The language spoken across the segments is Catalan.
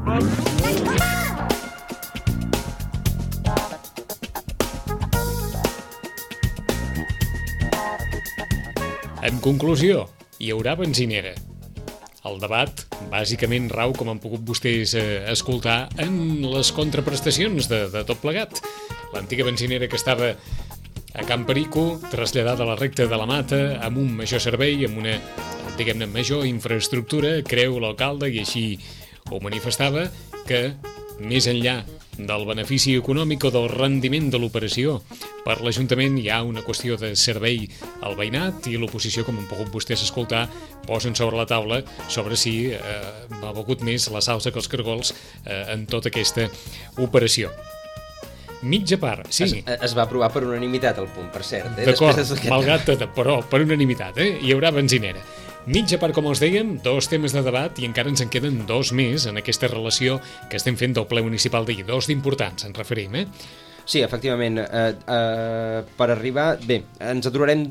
En conclusió, hi haurà benzinera. El debat, bàsicament, rau, com han pogut vostès escoltar, en les contraprestacions de tot plegat. L'antiga benzinera que estava a Can Perico, traslladada a la recta de la Mata, amb un major servei, amb una, diguem-ne, major infraestructura, creu l'alcalde, i així ho manifestava, que més enllà del benefici econòmic o del rendiment de l'operació, per l'Ajuntament hi ha una qüestió de servei al veïnat i l'oposició, com han pogut vostès escoltar, posen sobre la taula sobre si ha begut més la salsa que els cargols en tota aquesta operació. Mitja part, sí. Es va aprovar per unanimitat el punt, per cert. D'acord, malgrat tot, però per unanimitat, hi haurà benzinera. Mitja part, com els dèiem, 2 temes de debat i encara ens en queden 2 més en aquesta relació que estem fent del ple municipal d'ahir. 2 d'importants, ens referim, Sí, efectivament. Per arribar... Bé, ens aturarem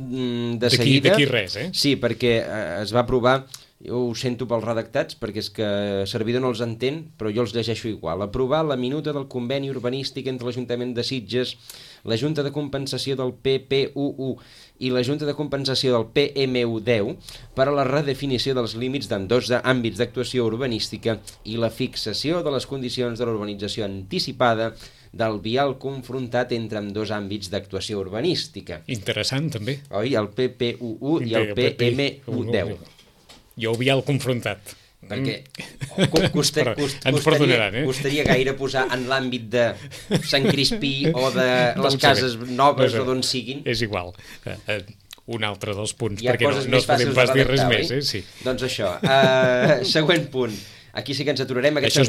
de seguida. D'aquí res, Sí, perquè es va aprovar... Jo ho sento pels redactats, perquè és que servidor no els entén, però jo els llegeixo igual. Aprovar la minuta del conveni urbanístic entre l'Ajuntament de Sitges, la Junta de Compensació del PPUU i la Junta de Compensació del PMU10 per a la redefinició dels límits d'ambdós àmbits d'actuació urbanística i la fixació de les condicions de l'urbanització anticipada del vial confrontat entre ambdós àmbits d'actuació urbanística. Interessant, també. Oi? El PPUU i el PMU10. Jo ho vial confrontat. Perquè ens perdonaran, costaria gaire posar en l'àmbit de Sant Crispí o de les cases noves o d'on siguin. És igual. Un altre dels punts, hi ha perquè no es podem pas dir res més. Sí. Doncs això. Següent punt. Aquí sí que ens aturarem, aquest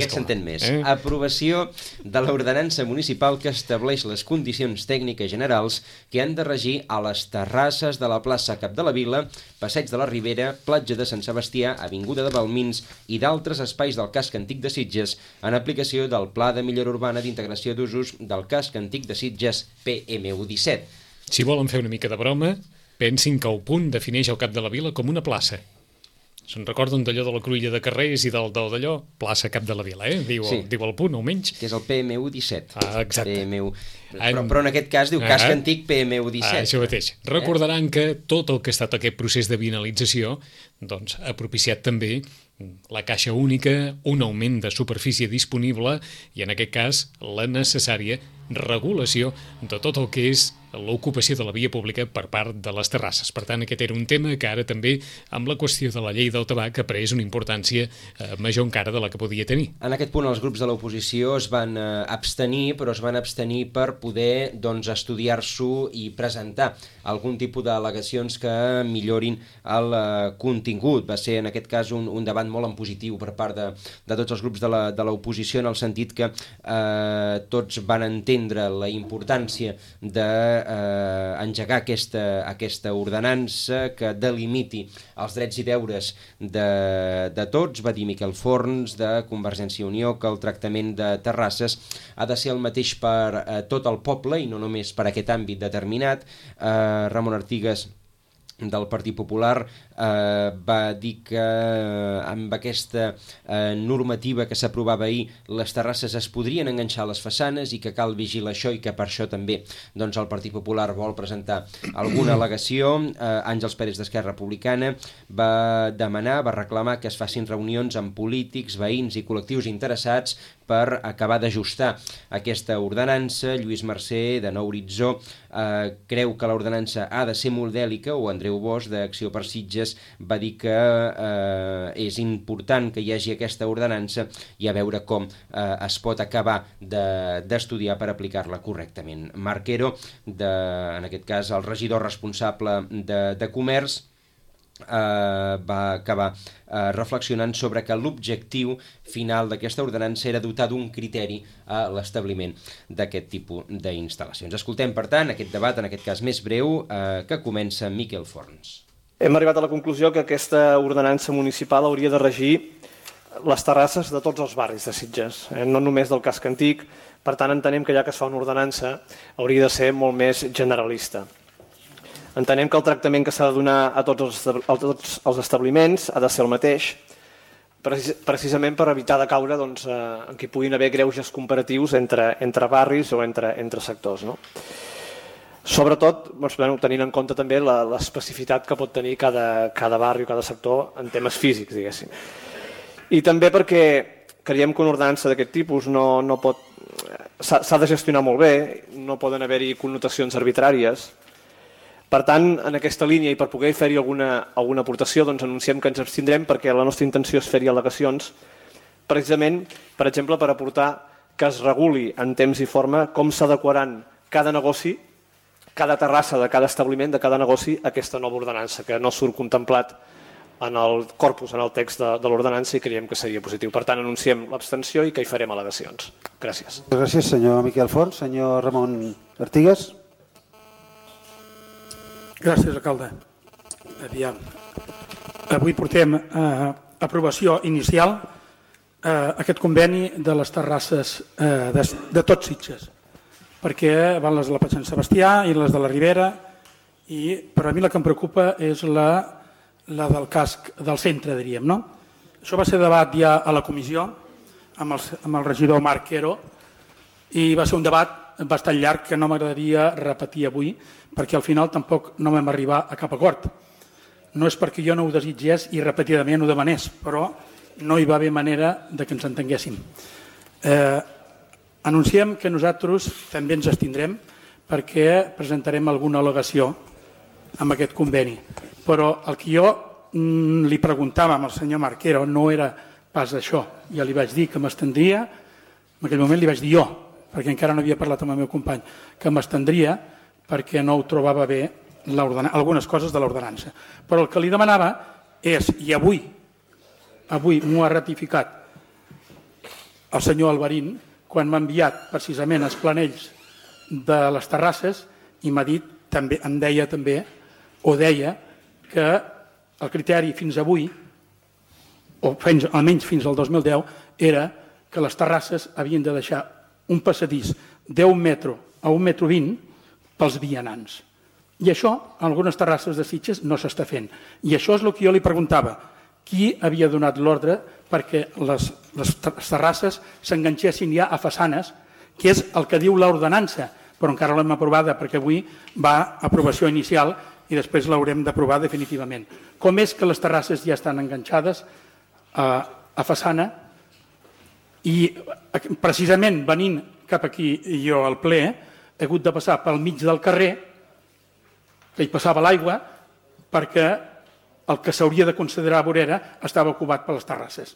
s'entén més. Aprovació de l'ordenança municipal que estableix les condicions tècniques generals que han de regir a les terrasses de la plaça Cap de la Vila, Passeig de la Ribera, Platja de Sant Sebastià, Avinguda de Balmins i d'altres espais del casc antic de Sitges en aplicació del Pla de Millora Urbana d'Integració d'Usos del casc antic de Sitges PMU17. Si volen fer una mica de broma, pensin que el punt defineix el Cap de la Vila com una plaça. Se'n recorden d'allò de la cruïlla de carrers i d'allò? Plaça Cap de la Vila, Diu el punt, almenys. Que és el PMU17. Exacte. Però en aquest cas diu casc antic PMU17. Això mateix. Recordaran que tot el que ha estat aquest procés de vinalització doncs, ha propiciat també la caixa única, un augment de superfície disponible i, en aquest cas, la necessària regulació de tot el que és l'ocupació de la via pública per part de les terrasses. Per tant, aquest era un tema que ara també, amb la qüestió de la llei del tabac, ha pres una importància major encara de la que podia tenir. En aquest punt, els grups de l'oposició es van abstenir, però es van abstenir per poder estudiar-s'ho i presentar algun tipus d'al·legacions que millorin el contingut. Va ser, en aquest cas, un debat molt en positiu per part de tots els grups de l'oposició, en el sentit que tots van entendre la importància d'engegar aquesta ordenança que delimiti els drets i deures de tots. Va dir Miquel Forns, de Convergència i Unió, que el tractament de terrasses ha de ser el mateix per tot el poble i no només per aquest àmbit determinat. Ramon Artigas, del Partit Popular, va dir que amb aquesta normativa que s'aprovava ahir les terrasses es podrien enganxar a les façanes i que cal vigilar això i que per això també el Partit Popular vol presentar alguna al·legació. Àngels Pérez d'Esquerra Republicana va reclamar que es facin reunions amb polítics, veïns i col·lectius interessats per acabar d'ajustar aquesta ordenança. Lluís Mercè, de Nou Horitzó, creu que l'ordenança ha de ser modèlica, o Andreu Bosch, d'Acció per Sitges, va dir que és important que hi hagi aquesta ordenança i a veure com es pot acabar d'estudiar per aplicar-la correctament. Marquero, en aquest cas el regidor responsable de Comerç, va acabar reflexionant sobre que l'objectiu final d'aquesta ordenança era dotar d'un criteri a l'establiment d'aquest tipus d'instal·lacions. Escoltem, per tant, aquest debat, en aquest cas més breu, que comença Miquel Forns. Hem arribat a la conclusió que aquesta ordenança municipal hauria de regir les terrasses de tots els barris de Sitges, no només del casc antic. Per tant, entenem que ja que es fa una ordenança hauria de ser molt més generalista. Entenem que el tractament que s'ha de donar a tots els establiments ha de ser el mateix. precisament per evitar de caure en què puguin haver greuges comparatius entre barris o entre sectors. Sobretot tenint en compte també l'especificitat que pot tenir cada barri o cada sector en temes físics, diguéssim. I també perquè creiem que una ordenança d'aquest tipus s'ha de gestionar molt bé, no poden haver-hi connotacions arbitràries. Per tant, en aquesta línia i per poder fer-hi alguna aportació, anunciem que ens abstindrem perquè la nostra intenció és fer-hi al·legacions, precisament, per exemple, per aportar que es reguli en temps i forma com s'adequaran cada negoci, cada terrassa de cada establiment, de cada negoci, a aquesta nova ordenança, que no surt contemplat en el corpus, en el text de l'ordenança, i creiem que seria positiu. Per tant, anunciem l'abstenció i que hi farem al·legacions. Gràcies. Gràcies, senyor Miquel Font. Senyor Ramon Artigas. Gràcies, alcalde. Aviam. Avui portem a aprovació inicial aquest conveni de les terrasses de tots Sitges, perquè van les de la Platja Sant Sebastià i les de la Ribera, però a mi la que em preocupa és la del casc del centre, diríem. Això va ser debat ja a la comissió amb el regidor Marc Quero i va ser un debat bastant llarg que no m'agradaria repetir avui perquè al final tampoc no vam arribar a cap acord. No és perquè jo no ho desitgés i repetidament ho demanés, però no hi va haver manera de que ens entenguéssim. Anunciem que nosaltres també ens abstindrem perquè presentarem alguna al·legació amb aquest conveni. Però el que jo li preguntava al senyor Marquero no era pas això. Ja li vaig dir que m'estendria, en aquell moment li vaig dir jo, perquè encara no havia parlat amb el meu company, que m'estendria perquè no ho trobava bé algunes coses de l'ordenança. Però el que li demanava és, i avui m'ho ha ratificat el senyor Alvarín, quan m'ha enviat precisament els planells de les terrasses i m'ha dit, em deia també, o deia que el criteri fins avui, o almenys fins al 2010, era que les terrasses havien de deixar un passadís d'1 metre a 1,20 metre pels vianants. I això, en algunes terrasses de Sitges, no s'està fent. I això és el que jo li preguntava. Qui havia donat l'ordre perquè les terrasses s'enganxessin ja a façanes, que és el que diu l'ordenança, però encara l'hem aprovada perquè avui va a aprovació inicial i després l'haurem d'aprovar definitivament. Com és que les terrasses ja estan enganxades a façana i precisament venint cap aquí jo al ple he hagut de passar pel mig del carrer que hi passava l'aigua perquè el que s'hauria de considerar vorera estava ocupat per les terrasses.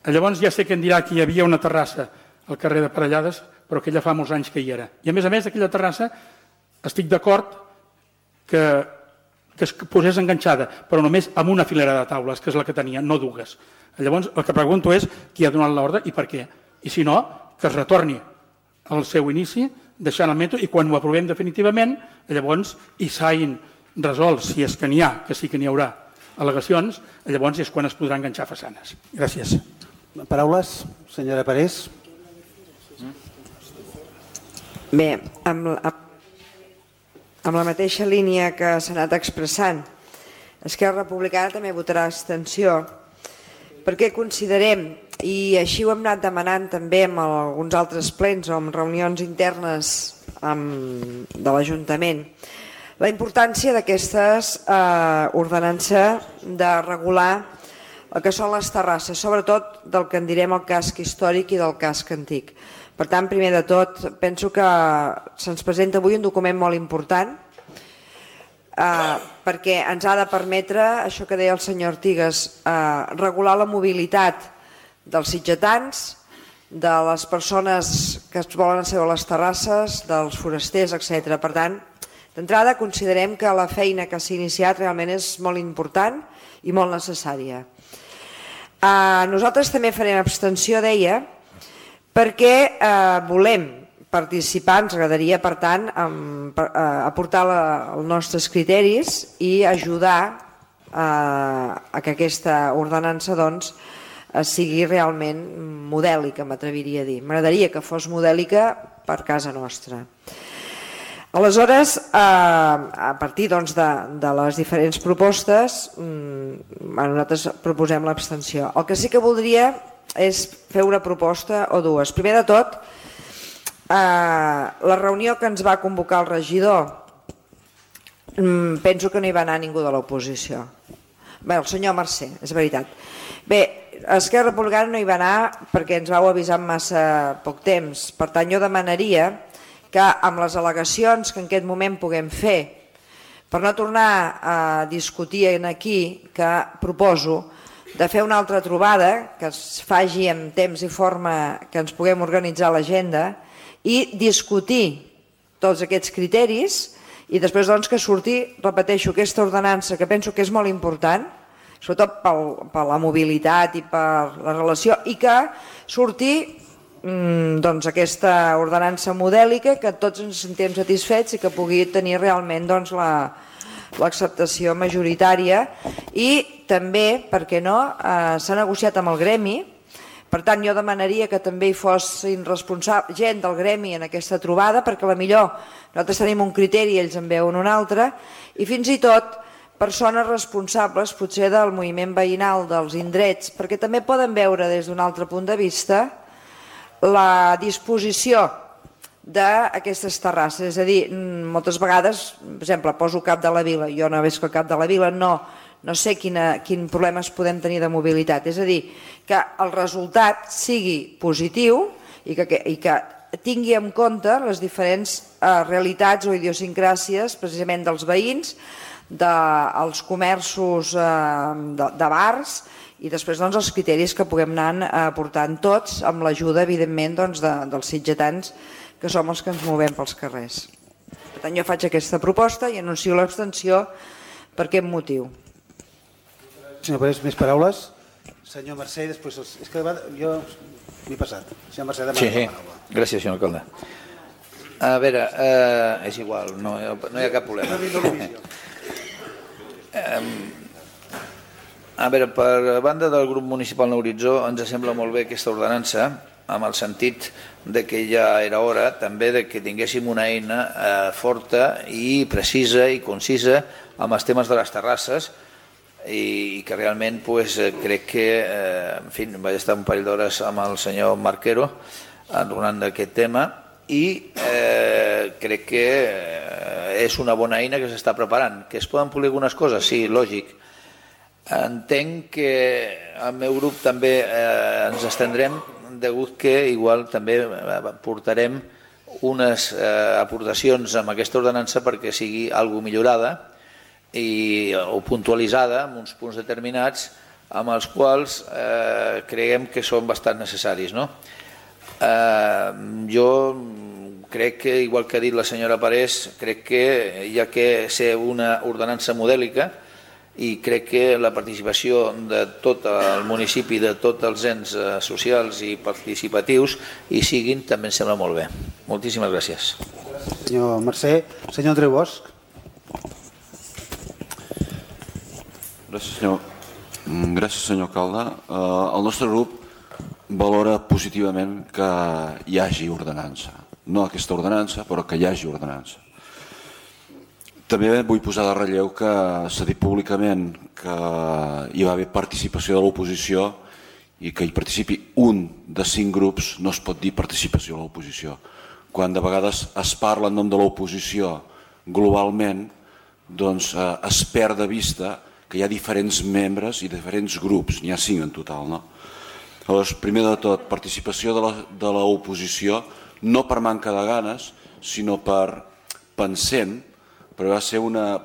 Llavors ja sé que em dirà que hi havia una terrassa al carrer de Parellades, però que ja fa molts anys que hi era. I a més, aquella terrassa estic d'acord que es posés enganxada, però només amb una filera de taules, que és la que tenia, no dues. Llavors el que pregunto és qui ha donat l'ordre i per què. I si no, que es retorni al seu inici, deixant el metro, i quan ho aprovem definitivament, llavors hi s'hagin resolt, si és que n'hi ha, que sí que n'hi haurà al·legacions, llavors és quan es podrà enganxar façanes. Gràcies. Paraules, senyora Parés. Bé, amb la mateixa línia que s'ha anat expressant, Esquerra Republicana també votarà abstenció, perquè considerem, i així ho hem anat demanant també en alguns altres plens o en reunions internes de l'Ajuntament, la importància d'aquestes ordenança de regular el que són les terrasses, sobretot del que en direm el casc històric i del casc antic. Per tant, primer de tot, penso que se'ns presenta avui un document molt important perquè ens ha de permetre, això que deia el senyor Artigas, regular la mobilitat dels sitgetans, de les persones que es volen asseure a les terrasses, dels forasters, etc. Per tant, d'entrada considerem que la feina que s'ha iniciat realment és molt important i molt necessària. Nosaltres també farem abstenció, deia, perquè volem participar, ens agradaria, per tant, aportar els nostres criteris i ajudar a que aquesta ordenança sigui realment modèlica, m'atreviria a dir. M'agradaria que fos modèlica per casa nostra. Aleshores, a partir de les diferents propostes, nosaltres proposem l'abstenció. El que sí que voldria és fer una proposta o dues. Primer de tot, la reunió que ens va convocar el regidor, penso que no hi va anar ningú de l'oposició. Bé, el senyor Mercè, és veritat. Bé, Esquerra Republicana no hi va anar perquè ens vau avisar amb massa poc temps. Per tant, jo demanaria que amb les al·legacions que en aquest moment puguem fer, per no tornar a discutir aquí, que proposo de fer una altra trobada, que es faci en temps i forma que ens puguem organitzar l'agenda i discutir tots aquests criteris i després que surti, repeteixo, aquesta ordenança que penso que és molt important, sobretot per la mobilitat i per la relació, i que surti aquesta ordenança modèlica, que tots ens sentim satisfets i que pugui tenir realment l'acceptació majoritària. I també, per què no, s'ha negociat amb el gremi, per tant jo demanaria que també hi fossin responsables gent del gremi en aquesta trobada, perquè millor nosaltres tenim un criteri i ells en veuen un altre, i fins i tot persones responsables potser del moviment veïnal dels indrets, perquè també poden veure des d'un altre punt de vista la disposició d'aquestes terrasses. És a dir, moltes vegades, per exemple, poso Cap de la Vila, jo no veig que Cap de la Vila no sé quin problemes podem tenir de mobilitat. És a dir, que el resultat sigui positiu i que tingui en compte les diferents realitats o idiosincràsies precisament dels veïns, dels comerços de bars i després els criteris que puguem anar aportant tots amb l'ajuda, evidentment, dels sitgetans que som els que ens movem pels carrers. Per tant, jo faig aquesta proposta i anuncio l'abstenció per aquest motiu. Senyor Parés, més paraules? Senyor Mercè, després... És que jo m'he passat. Senyor Mercè, demana la paraula. Gràcies, senyor alcalde. A veure, és igual, no hi ha cap problema. A veure, per banda del grup municipal Horitzó ens sembla molt bé aquesta ordenança, amb el sentit de que ja era hora també de que tinguéssim una eina forta i precisa i concisa amb els temes de les terrasses i que realment crec que, en fi, vaig estar un parell d'hores amb el senyor Marquero donant d'aquest tema i crec que és una bona eina que s'està preparant. Que es poden polir algunes coses? Sí, lògic. Entenc que al meu grup també ens estendrem degut que igual també portarem unes aportacions amb aquesta ordenança perquè sigui algo millorada o puntualitzada en uns punts determinats amb els quals creiem que són bastant necessaris. Jo crec que, igual que ha dit la senyora Parés, crec que hi ha que ser una ordenança modèlica i crec que la participació de tot el municipi, de tots els ens socials i participatius hi siguin, també em sembla molt bé. Moltíssimes gràcies. Senyor Mercè. Senyor Andreu Bosch. Gràcies, senyor alcalde. El nostre grup valora positivament que hi hagi ordenança. No aquesta ordenança, però que hi hagi ordenança. També vull posar de relleu que s'ha dit públicament que hi va haver participació de l'oposició i que hi participi un de 5 grups no es pot dir participació de l'oposició. Quan de vegades es parla en nom de l'oposició globalment, doncs es perd de vista que hi ha diferents membres i diferents grups, n'hi ha 5 en total. Llavors, primer de tot, participació de l'oposició, no per manca de ganes, sinó per pensem, però va ser una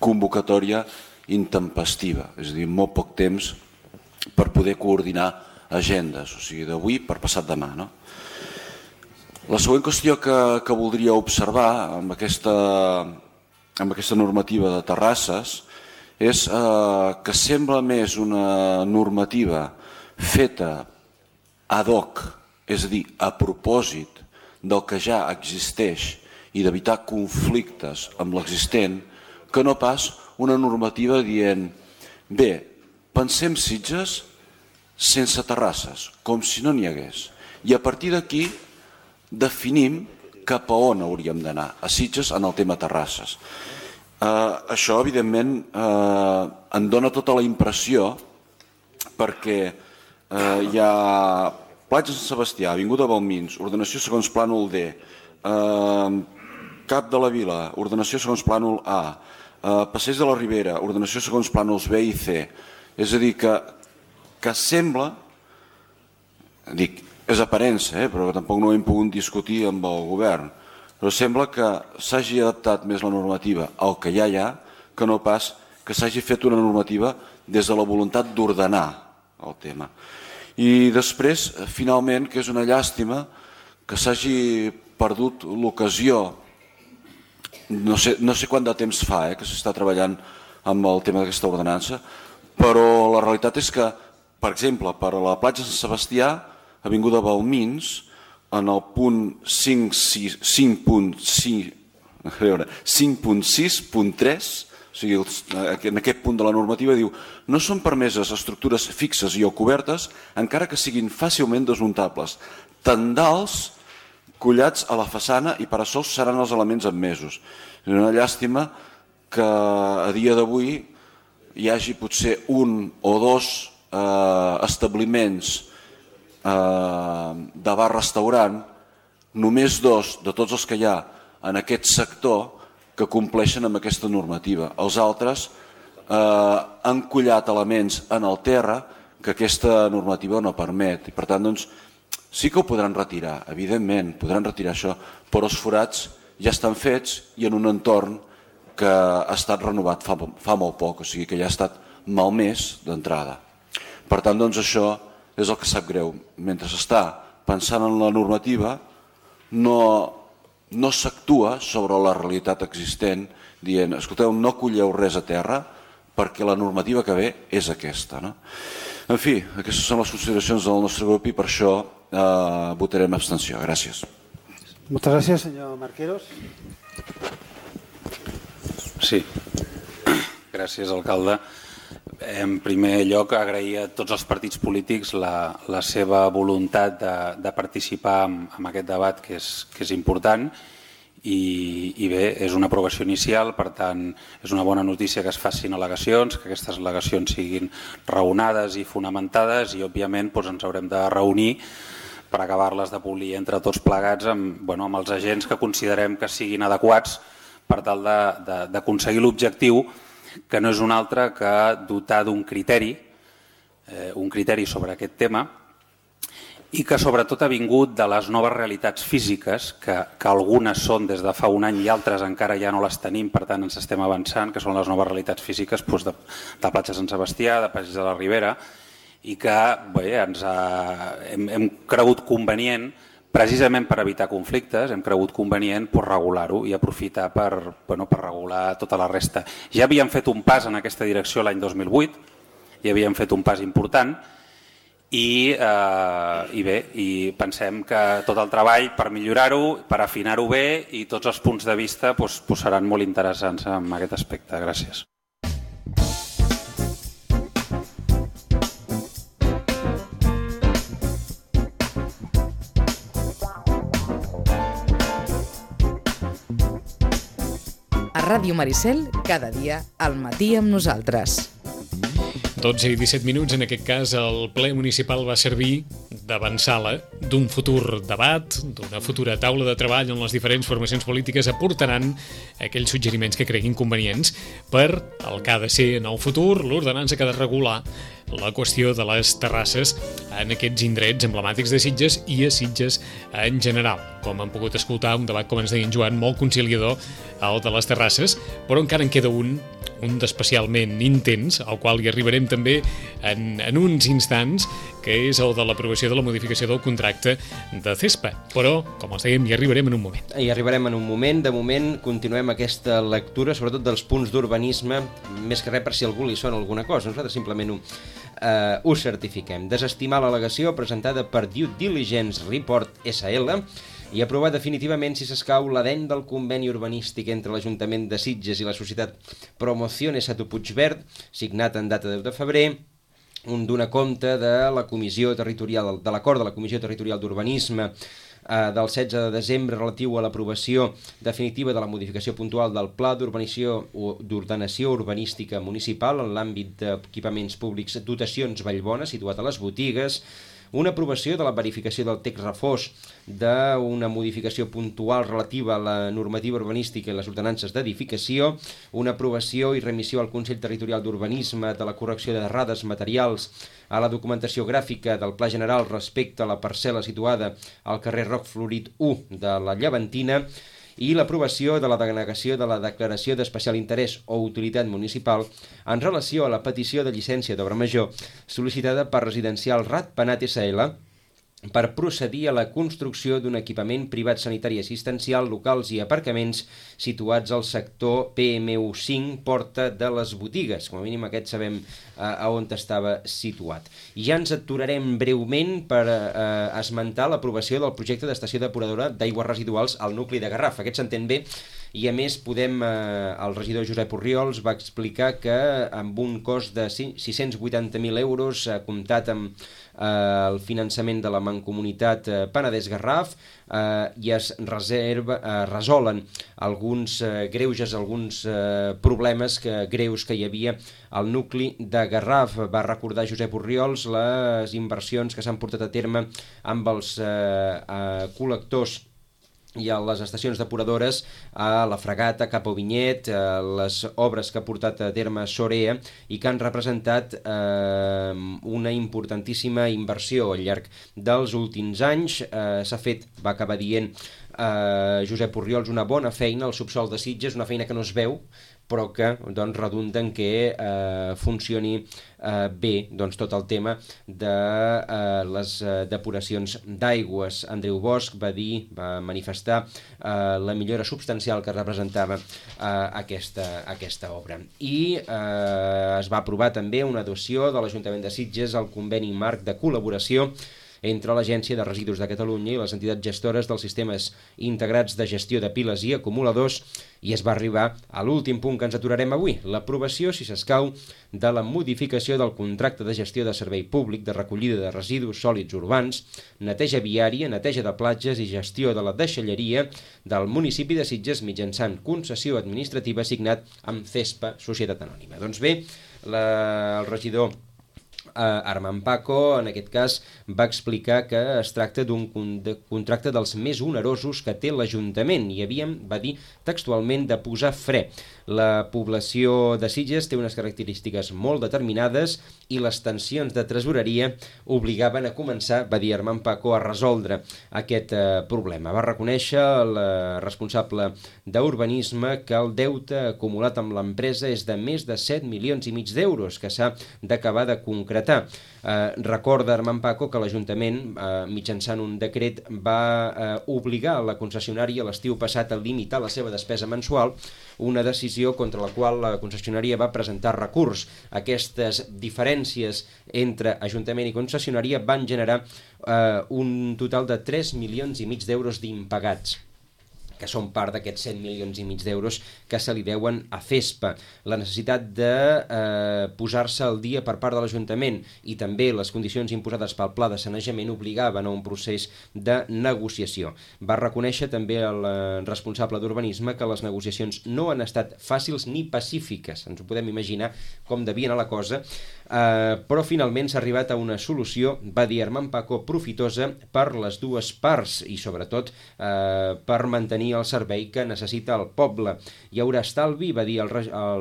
convocatòria intempestiva, és a dir, molt poc temps per poder coordinar agendes, o sigui, d'avui per passat demà. La següent qüestió que voldria observar amb aquesta normativa de terrasses és que sembla més una normativa feta ad hoc, és a dir, a propòsit del que ja existeix i d'evitar conflictes amb l'existent, que no pas una normativa dient bé, pensem Sitges sense terrasses, com si no n'hi hagués. I a partir d'aquí definim cap a on hauríem d'anar, a Sitges en el tema terrasses. Això, evidentment, em dona tota la impressió perquè hi ha Platja Sant Sebastià, Avinguda Balmins, ordenació segons plànol D, Cap de la Vila, ordenació segons plànol A, Passeig de la Ribera, ordenació segons plànols B i C. És a dir, que sembla, dic, és aparença, però tampoc no ho hem pogut discutir amb el govern, però sembla que s'hagi adaptat més la normativa al que ja hi ha, que no pas que s'hagi fet una normativa des de la voluntat d'ordenar el tema. I després, finalment, que és una llàstima que s'hagi perdut l'ocasió, no sé quant de temps fa que s'està treballant amb el tema d'aquesta ordenança, però la realitat és que, per exemple, per a la platja Sant Sebastià, Avinguda Balmins, en el punt 5.6.3, o sigui, en aquest punt de la normativa diu no són permeses estructures fixes i o cobertes, encara que siguin fàcilment desmuntables. Tendals collats a la façana i parasols seran els elements admesos. És una llàstima que a dia d'avui hi hagi potser un o dos establiments de bar-restaurant, només dos de tots els que hi ha en aquest sector que compleixen amb aquesta normativa. Els altres han collat elements en el terra que aquesta normativa no permet. I per tant, doncs, sí que ho podran retirar, evidentment, podran retirar això, però els forats ja estan fets i en un entorn que ha estat renovat fa molt poc, o sigui que ja ha estat malmès d'entrada. Per tant, doncs, això és el que sap greu. Mentre s'està pensant en la normativa, no s'actua sobre la realitat existent dient, escolteu, no colleu res a terra perquè la normativa que ve és aquesta. En fi, aquestes són les consideracions del nostre grup i per això votarem abstenció. Gràcies. Moltes gràcies, senyor Marqueros. Sí, gràcies, alcalde. En primer lloc, agrair a tots els partits polítics la seva voluntat de participar en aquest debat que és important i bé, és una aprovació inicial, per tant, és una bona notícia que es facin al·legacions, que aquestes al·legacions siguin raonades i fonamentades i, òbviament, ens haurem de reunir per acabar-les de polir entre tots plegats amb els agents que considerem que siguin adequats per tal d'aconseguir l'objectiu, que no és un altre que dotar d'un criteri sobre aquest tema i que sobretot ha vingut de les noves realitats físiques, que algunes són des de fa un any i altres encara ja no les tenim, per tant ens estem avançant, que són les noves realitats físiques de Platja Sant Sebastià, de Passeig de la Ribera, i que hem cregut convenient, precisament per evitar conflictes, hem cregut convenient regular-ho i aprofitar per regular tota la resta. Ja havíem fet un pas en aquesta direcció l'any 2008, ja havíem fet un pas important i pensem que tot el treball per millorar-ho, per afinar-ho bé i tots els punts de vista seran molt interessants en aquest aspecte. Gràcies. Ràdio Maricel, cada dia al matí amb nosaltres. 12 i 17 minuts, en aquest cas el ple municipal va servir d'avançala d'un futur debat, d'una futura taula de treball on les diferents formacions polítiques aportaran aquells suggeriments que creguin convenients per el que ha de ser en el futur l'ordenança que ha de regular la qüestió de les terrasses en aquests indrets emblemàtics de Sitges i a Sitges en general. Com han pogut escoltar, un debat, com ens deia en Joan, molt conciliador, el de les terrasses, però encara en queda un d'especialment intens, al qual hi arribarem també en uns instants, que és el de l'aprovació de la modificació del contracte de CESPA. Però, com els dèiem, hi arribarem en un moment. Hi arribarem en un moment. De moment, continuem aquesta lectura, sobretot dels punts d'urbanisme, més que res per si algú li sona alguna cosa. Nosaltres simplement ho certifiquem. Desestimar l'al·legació presentada per Due Diligence Report SL i aprovar definitivament, si s'escau, l'adent del conveni urbanístic entre l'Ajuntament de Sitges i la societat Promociones a tu Puigverd, signat en data 10 de febrer, un donar compte de la Comissió Territorial, de l'acord de la Comissió Territorial d'Urbanisme del 16 de desembre relatiu a l'aprovació definitiva de la modificació puntual del Pla d'Ordenació Urbanística Municipal en l'àmbit d'equipaments públics dotacions Vallbona, situat a les botigues, una aprovació de la verificació del text refós d'una modificació puntual relativa a la normativa urbanística i les ordenances d'edificació, una aprovació i remissió al Consell Territorial d'Urbanisme de la correcció d'errades materials a la documentació gràfica del Pla General respecte a la parcel·la situada al carrer Roc Florit 1 de la Llevantina, i l'aprovació de la denegació de la declaració d'especial interès o utilitat municipal en relació a la petició de llicència d'obra major sol·licitada per Residencial Ratpenat SL per procedir a la construcció d'un equipament privat sanitari assistencial, locals i aparcaments situats al sector PMU5, Porta de les Botigues. Com a mínim aquest sabem a on estava situat. I ja ens aturarem breument per esmentar l'aprovació del projecte d'estació depuradora d'aigües residuals al nucli de Garraf. Aquest s'entén bé i a més el regidor Josep Orriols va explicar que amb un cost de 680.000 euros comptat amb el finançament de la Mancomunitat Penedès-Garraf i es resolen alguns greuges, alguns problemes greus que hi havia al nucli de Garraf. Va recordar Josep Orriols les inversions que s'han portat a terme amb els col·lectors i a les estacions depuradores a la Fragata, Cap a Vinyet, les obres que ha portat a terme Sorea i que han representat una importantíssima inversió al llarg dels últims anys. S'ha fet, va acabar dient Josep Orriols, una bona feina al subsòl de Sitges, una feina que no es veu, però que redunda en que funcioni bé tot el tema de les depuracions d'aigües. Andreu Bosch va manifestar la millora substancial que representava aquesta obra. I es va aprovar també una dotació de l'Ajuntament de Sitges al conveni marc de col·laboració entre l'Agència de Residus de Catalunya i les entitats gestores dels sistemes integrats de gestió de piles i acumuladors, i es va arribar a l'últim punt que ens aturarem avui, l'aprovació, si s'escau, de la modificació del contracte de gestió de servei públic de recollida de residus sòlids urbans, neteja viària, neteja de platges i gestió de la deixalleria del municipi de Sitges mitjançant concessió administrativa signat amb CESPA, Societat Anònima. Doncs bé, el regidor Armand Paco, en aquest cas, va explicar que es tracta d'un contracte dels més onerosos que té l'Ajuntament i va dir textualment de posar fre. La població de Sitges té unes característiques molt determinades i les tensions de tresoreria obligaven a començar, va dir Armand Paco, a resoldre aquest problema. Va reconèixer el responsable d'urbanisme que el deute acumulat amb l'empresa és de més de 7,5 milions d'euros que s'ha d'acabar de concretar. Recorda Armand Paco que l'Ajuntament, mitjançant un decret, va obligar la concessionària l'estiu passat a limitar la seva despesa mensual, una decisió contra la qual la concessionària va presentar recurs. Aquestes diferències entre Ajuntament i concessionària van generar un total de 3,5 milions d'euros d'impagats, que són part d'aquests 7,5 milions d'euros que se li deuen a CESPA. La necessitat de posar-se al dia per part de l'Ajuntament i també les condicions imposades pel pla de sanejament obligaven a un procés de negociació. Va reconèixer també el responsable d'urbanisme que les negociacions no han estat fàcils ni pacífiques. Ens ho podem imaginar com devia anar la cosa, però finalment s'ha arribat a una solució, va dir Armand Paco, profitosa per les dues parts i sobretot per mantenir el servei que necessita el poble. Hi haurà estalvi, va dir el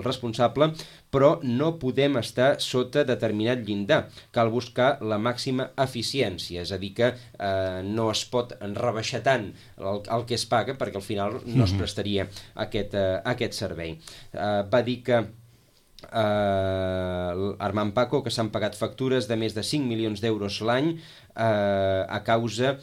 responsable, però no podem estar sota determinat llindar. Cal buscar la màxima eficiència, és a dir que no es pot rebaixar tant el que es paga perquè al final no es prestaria aquest servei. Va dir que Armand Paco que s'han pagat factures de més de 5 milions d'euros l'any a causa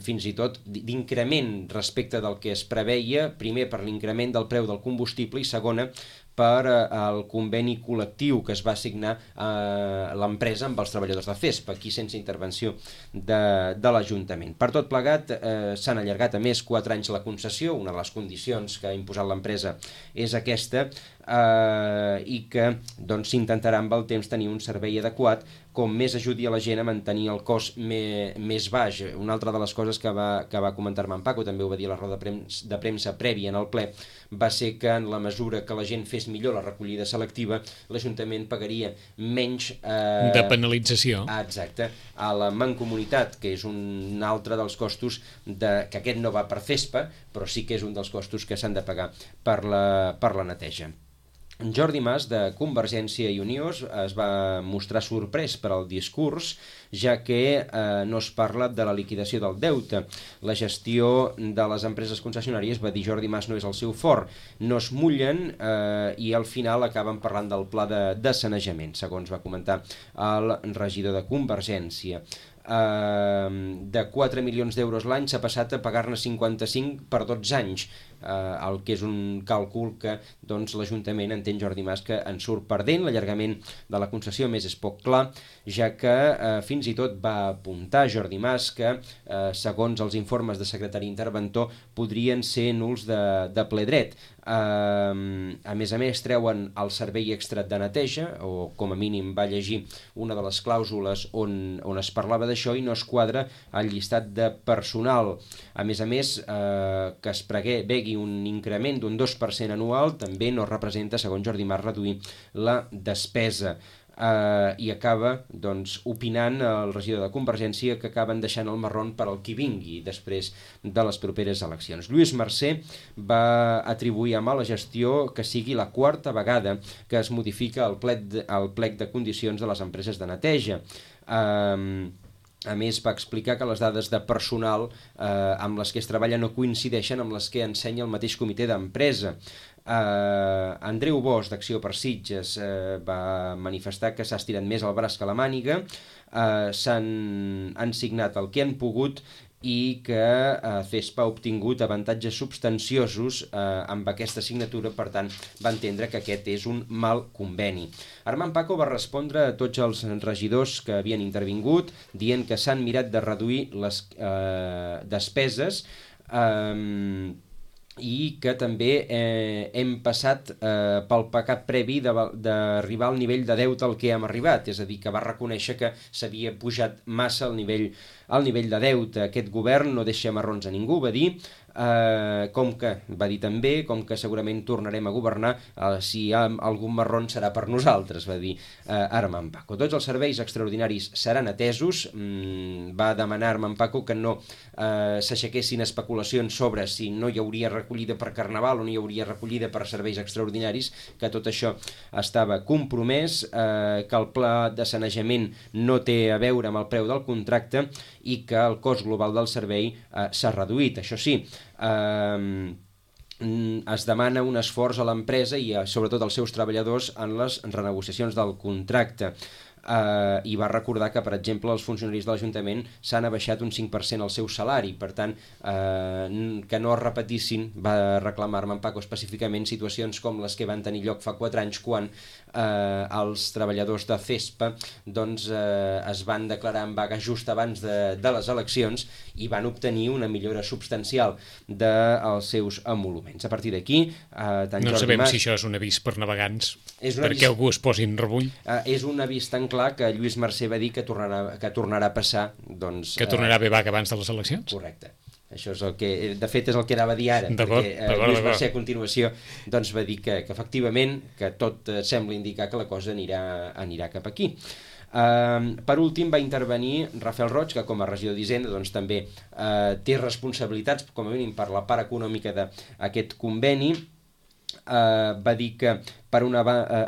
fins i tot d'increment respecte del que es preveia, primer per l'increment del preu del combustible i segona per al conveni col·lectiu que es va signar a l'empresa amb els treballadors de CESPA, aquí sense intervenció de l'Ajuntament. Per tot plegat, s'han allargat a més 4 anys la concessió, una de les condicions que ha imposat l'empresa és aquesta, i que s'intentarà amb el temps tenir un servei adequat com més ajudi a la gent a mantenir el cost més baix. Una altra de les coses que va comentar-me en Paco, també ho va dir a la roda de premsa prèvia en el ple, va ser que en la mesura que la gent fes millor la recollida selectiva, l'Ajuntament pagaria menys... de penalització. Exacte, a la mancomunitat, que és un altre dels costos, que aquest no va per FESPA, però sí que és un dels costos que s'han de pagar per la neteja. Jordi Mas, de Convergència i Unió, es va mostrar sorprès per al discurs, ja que no es parla de la liquidació del deute. La gestió de les empreses concessionàries, va dir Jordi Mas, no és el seu fort. No es mullen i al final acaben parlant del pla de sanejament, segons va comentar el regidor de Convergència. De 4 milions d'euros l'any s'ha passat a pagar-ne 55 per 12 anys, el que és un càlcul que l'Ajuntament, entén Jordi Mas, que en surt perdent. L'allargament de la concessió més és poc clar, ja que fins i tot va apuntar Jordi Mas que segons els informes de secretari interventor podrien ser nuls de ple dret. A més, treuen el servei extra de neteja, o com a mínim va llegir una de les clàusules on es parlava d'això, i no es quadra el llistat de personal. A més, que es prevegi un increment d'un 2% anual també no representa, segons Jordi Mas, reduir la despesa. I acaba opinant el regidor de Convergència que acaben deixant el marrón per al qui vingui després de les properes eleccions. Lluís Mercè va atribuir a mala gestió que sigui la quarta vegada que es modifica el plec de condicions de les empreses de neteja. A més, va explicar que les dades de personal amb les que es treballa no coincideixen amb les que ensenya el mateix comitè d'empresa. Andreu Bosch, d'Acció per Sitges, va manifestar que s'ha estirat més el braç que la màniga, han signat el que han pogut i que FESPA ha obtingut avantatges substanciosos amb aquesta signatura, per tant va entendre que aquest és un mal conveni. Armand Paco va respondre a tots els regidors que havien intervingut dient que s'han mirat de reduir les despeses i que també hem passat pel pecat previ d'arribar al nivell de deute al que hem arribat, és a dir, que va reconèixer que s'havia pujat massa el nivell de deute. Aquest govern no deixa marrons a ningú, va dir, com que segurament tornarem a governar, si hi ha algun marrón serà per nosaltres, va dir Armand Paco. Tots els serveis extraordinaris seran atesos. Va demanar Armand Paco que no s'aixequessin especulacions sobre si no hi hauria recollida per Carnaval o no hi hauria recollida per serveis extraordinaris, que tot això estava compromès, que el pla de sanejament no té a veure amb el preu del contracte i que el cost global del servei s'ha reduït. Això sí, es demana un esforç a l'empresa i sobretot als seus treballadors en les renegociacions del contracte. I va recordar que, per exemple, els funcionaris de l'Ajuntament s'han abaixat un 5% el seu salari, per tant, que no es repetissin, va reclamar Armand Paco específicament, situacions com les que van tenir lloc fa 4 anys quan els treballadors de FESPA es van declarar en vaga just abans de les eleccions i van obtenir una millora substancial dels seus emoluments. A partir d'aquí, no sabem si això és un avís per navegants, perquè algú es posi en rebull. És un avís tan clar que Lluís Mercè va dir que tornarà a passar. Que tornarà a haver vaga abans de les eleccions? Correcte. Això és el que, de fet, és el que anava a dir ara, perquè Lluís Mercè a continuació va dir que efectivament, que tot sembla indicar que la cosa anirà cap aquí. Per últim va intervenir Rafael Roig, que com a regidor d'Hisenda també té responsabilitats, com a mínim per la part econòmica d'aquest conveni. Va dir que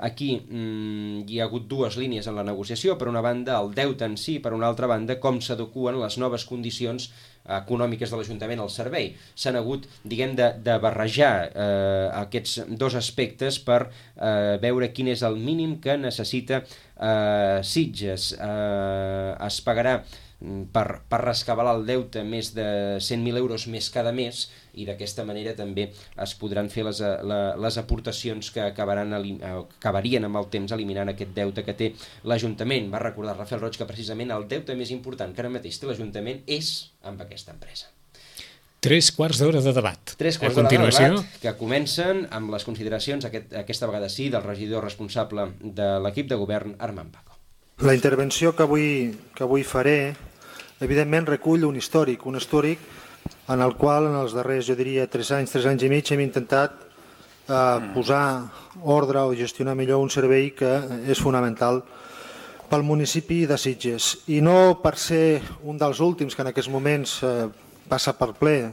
aquí hi ha hagut dues línies en la negociació, per una banda el deute en si, per una altra banda com s'adeqüen les noves condicions econòmiques de l'Ajuntament al servei. S'han hagut, de barrejar aquests dos aspectes per veure quin és el mínim que necessita Sitges. Es pagarà per rescabalar el deute més de 100.000 euros més cada mes i d'aquesta manera també es podran fer les aportacions que acabarien amb el temps eliminant aquest deute que té l'Ajuntament. Va recordar Rafael Roig que precisament el deute més important que ara mateix té l'Ajuntament és amb aquesta empresa. 3 quarts d'hora de debat. 3 quarts d'hora de debat que comencen amb les consideracions, aquesta vegada sí, del regidor responsable de l'equip de govern, Armand Paco. La intervenció que avui faré, evidentment, recull un històric en el qual en els darrers, jo diria, 3 anys i mig, hem intentat posar ordre o gestionar millor un servei que és fonamental pel municipi de Sitges. I no per ser un dels últims que en aquests moments passa per ple,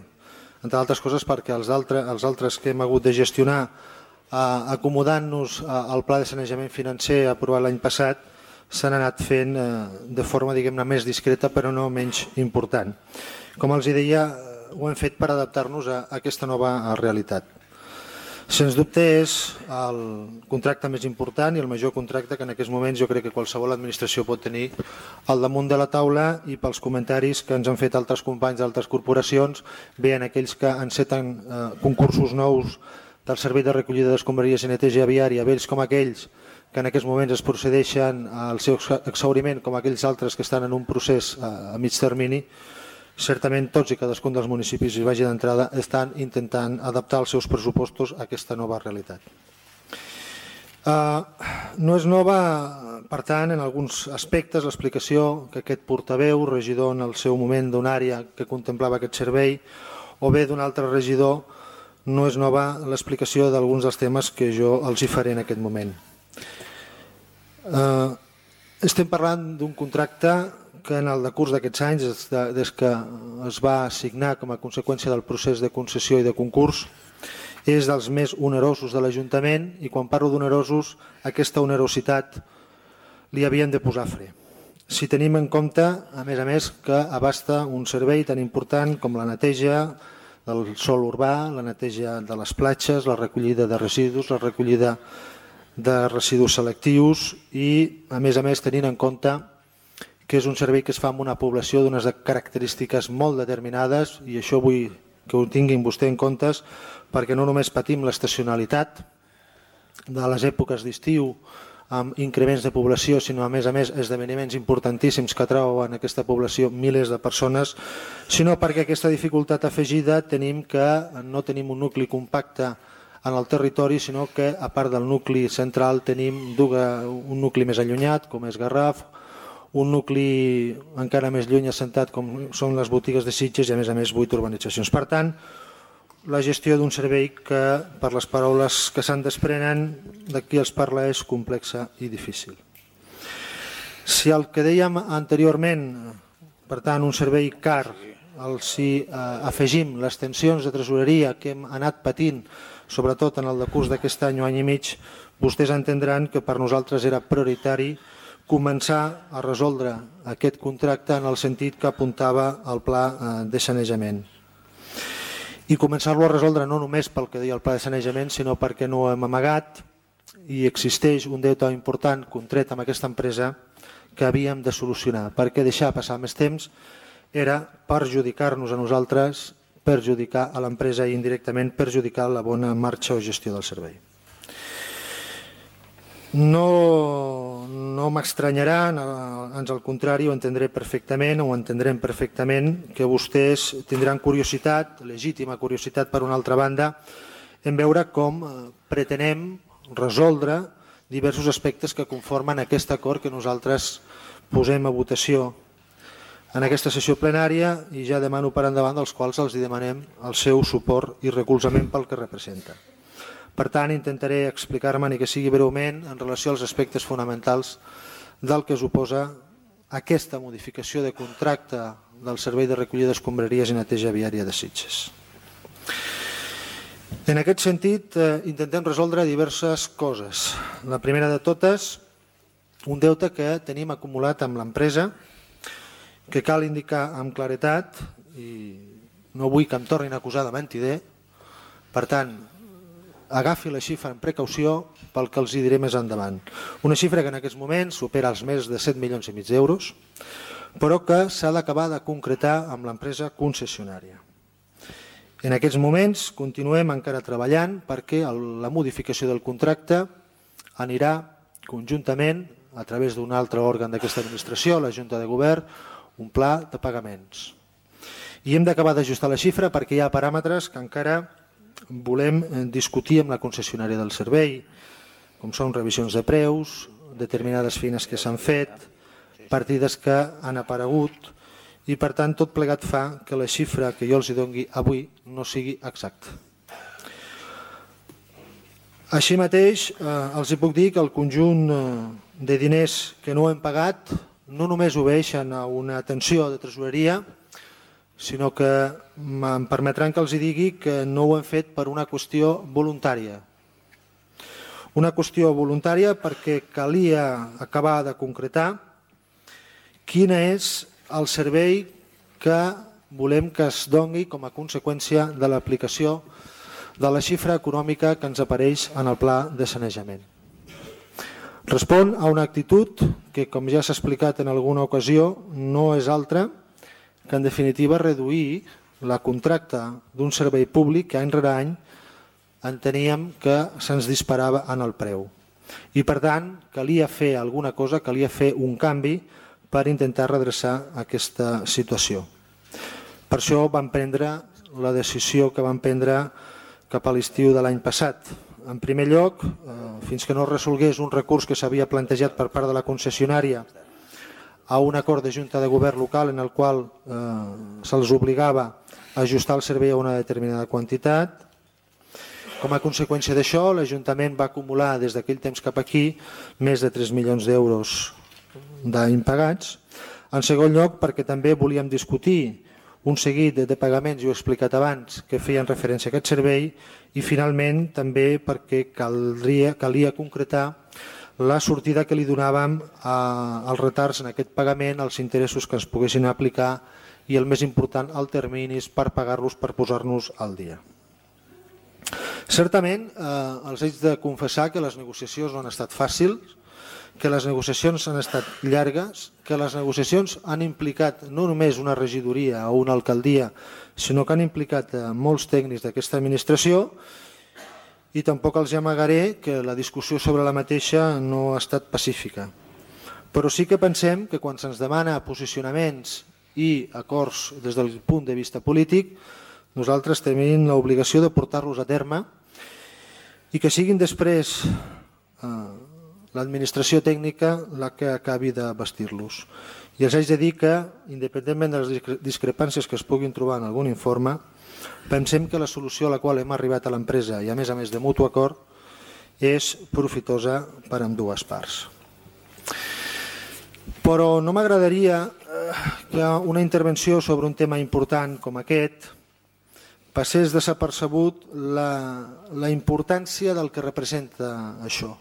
entre altres coses perquè els altres que hem hagut de gestionar acomodant-nos al pla de sanejament financer aprovat l'any passat s'han anat fent de forma, diguem-ne, més discreta però no menys important. Com els deia, ho hem fet per adaptar-nos a aquesta nova realitat. Sens dubte és el contracte més important i el major contracte que en aquests moments jo crec que qualsevol administració pot tenir al damunt de la taula, i pels comentaris que ens han fet altres companys d'altres corporacions, bé en aquells que enceten concursos nous del servei de recollida d'escombraries i neteja viària, vells com aquells que en aquests moments es procedeixen al seu exhauriment, com aquells altres que estan en un procés a mig termini. Certament tots i cadascun dels municipis, i vagi d'entrada, estan intentant adaptar els seus pressupostos a aquesta nova realitat. No és nova, per tant, en alguns aspectes, l'explicació que aquest portaveu, regidor en el seu moment d'una àrea que contemplava aquest servei, o bé d'un altre regidor, no és nova l'explicació d'alguns dels temes que jo els hi faré en aquest moment. Estem parlant d'un contracte que en el decurs d'aquests anys, des que es va signar com a conseqüència del procés de concessió i de concurs, és dels més onerosos de l'Ajuntament, i quan parlo d'onerosos, aquesta onerositat li havíem de posar fre. Si tenim en compte, a més, que abasta un servei tan important com la neteja del sòl urbà, la neteja de les platges, la recollida de residus, la recollida de residus selectius i, a més, tenint en compte que és un servei que es fa amb una població d'unes característiques molt determinades, i això vull que ho tinguin vostè en compte, perquè no només patim l'estacionalitat de les èpoques d'estiu amb increments de població, sinó a més esdeveniments importantíssims que atrauen aquesta població milers de persones, sinó perquè aquesta dificultat afegida tenim que no tenim un nucli compacte en el territori, sinó que a part del nucli central tenim un nucli més allunyat, com és Garraf, un nucli encara més lluny assentat com són les botigues de Sitges i a més 8 urbanitzacions. Per tant, la gestió d'un servei que, per les paraules que se'n desprenen de qui els parla, és complexa i difícil. Si el que dèiem anteriorment, per tant, un servei car, si afegim les tensions de tresoreria que hem anat patint, sobretot en el decurs d'aquest any o any i mig, vostès entendran que per nosaltres era prioritari començar a resoldre aquest contracte en el sentit que apuntava el pla de sanejament. I començar-lo a resoldre no només pel que deia el pla de sanejament, sinó perquè no ho hem amagat i existeix un deute important contret amb aquesta empresa que havíem de solucionar, perquè deixar passar més temps era perjudicar-nos a nosaltres, perjudicar a l'empresa i indirectament perjudicar la bona marxa o gestió del servei. No m'estranyarà, ans al contrari, ho entendrem perfectament, que vostès tindran curiositat, legítima curiositat per una altra banda, en veure com pretenem resoldre diversos aspectes que conformen aquest acord que nosaltres posem a votació en aquesta sessió plenària, i ja demano per endavant dels quals els demanem el seu suport i recolzament pel que representa. Per tant, intentaré explicar-me, ni que sigui breument, en relació als aspectes fonamentals del que suposa aquesta modificació de contracte del servei de recollida d'escombraries i neteja viària de Sitges. En aquest sentit, intentem resoldre diverses coses. La primera de totes, un deute que tenim acumulat amb l'empresa, que cal indicar amb claretat, i no vull que em tornin a acusar de mentider, per tant, agafi la xifra amb precaució pel que els hi diré més endavant. Una xifra que en aquests moments supera els més de 7,5 milions d'euros, però que s'ha d'acabar de concretar amb l'empresa concessionària. En aquests moments continuem encara treballant perquè la modificació del contracte anirà conjuntament, a través d'un altre òrgan d'aquesta administració, la Junta de Govern, un pla de pagaments. I hem d'acabar d'ajustar la xifra perquè hi ha paràmetres que encara volem discutir amb la concessionària del servei, com són revisions de preus, determinades feines que s'han fet, partides que han aparegut, i per tant tot plegat fa que la xifra que jo els doni avui no sigui exacta. Així mateix, els puc dir que el conjunt de diners que no hem pagat no només obeeixen a una tensió de tresoreria, sinó que em permetran que els digui que no ho hem fet per una qüestió voluntària. Una qüestió voluntària perquè calia acabar de concretar quin és el servei que volem que es doni com a conseqüència de l'aplicació de la xifra econòmica que ens apareix en el pla de sanejament. Respon a una actitud que, com ja s'ha explicat en alguna ocasió, no és altra que, en definitiva, reduir la contracta d'un servei públic que any rere any enteníem que se'ns disparava en el preu. I, per tant, calia fer alguna cosa, calia fer un canvi per intentar redreçar aquesta situació. Per això vam prendre la decisió que vam prendre cap a l'estiu de l'any passat. En primer lloc, fins que no es resolgués un recurs que s'havia plantejat per part de la concessionària a un acord de Junta de Govern local en el qual se'ls obligava a ajustar el servei a una determinada quantitat. Com a conseqüència d'això, l'Ajuntament va acumular des d'aquell temps cap aquí més de 3 milions d'euros d'impagats. En segon lloc, perquè també volíem discutir un seguit de pagaments, jo he explicat abans, que feien referència a aquest servei, i finalment també perquè calia concretar la sortida que li donàvem als retards en aquest pagament, als interessos que ens poguessin aplicar i, el més important, als terminis per pagar-los, per posar-nos al dia. Certament, els haig de confessar que les negociacions no han estat fàcils, que les negociacions han estat llargues, que les negociacions han implicat no només una regidoria o una alcaldia, sinó que han implicat molts tècnics d'aquesta administració, i tampoc els amagaré que la discussió sobre la mateixa no ha estat pacífica. Però sí que pensem que quan se'ns demana posicionaments i acords des del punt de vista polític, nosaltres tenim l'obligació de portar-los a terme i que siguin després l'administració tècnica la que acabi de vestir-los. I els haig de dir que, independentment de les discrepàncies que es puguin trobar en algun informe, pensem que la solució a la qual hem arribat a l'empresa, i a més de mutu acord, és profitosa per a ambdues parts. Però no m'agradaria que una intervenció sobre un tema important com aquest passés desapercebut la importància del que representa això.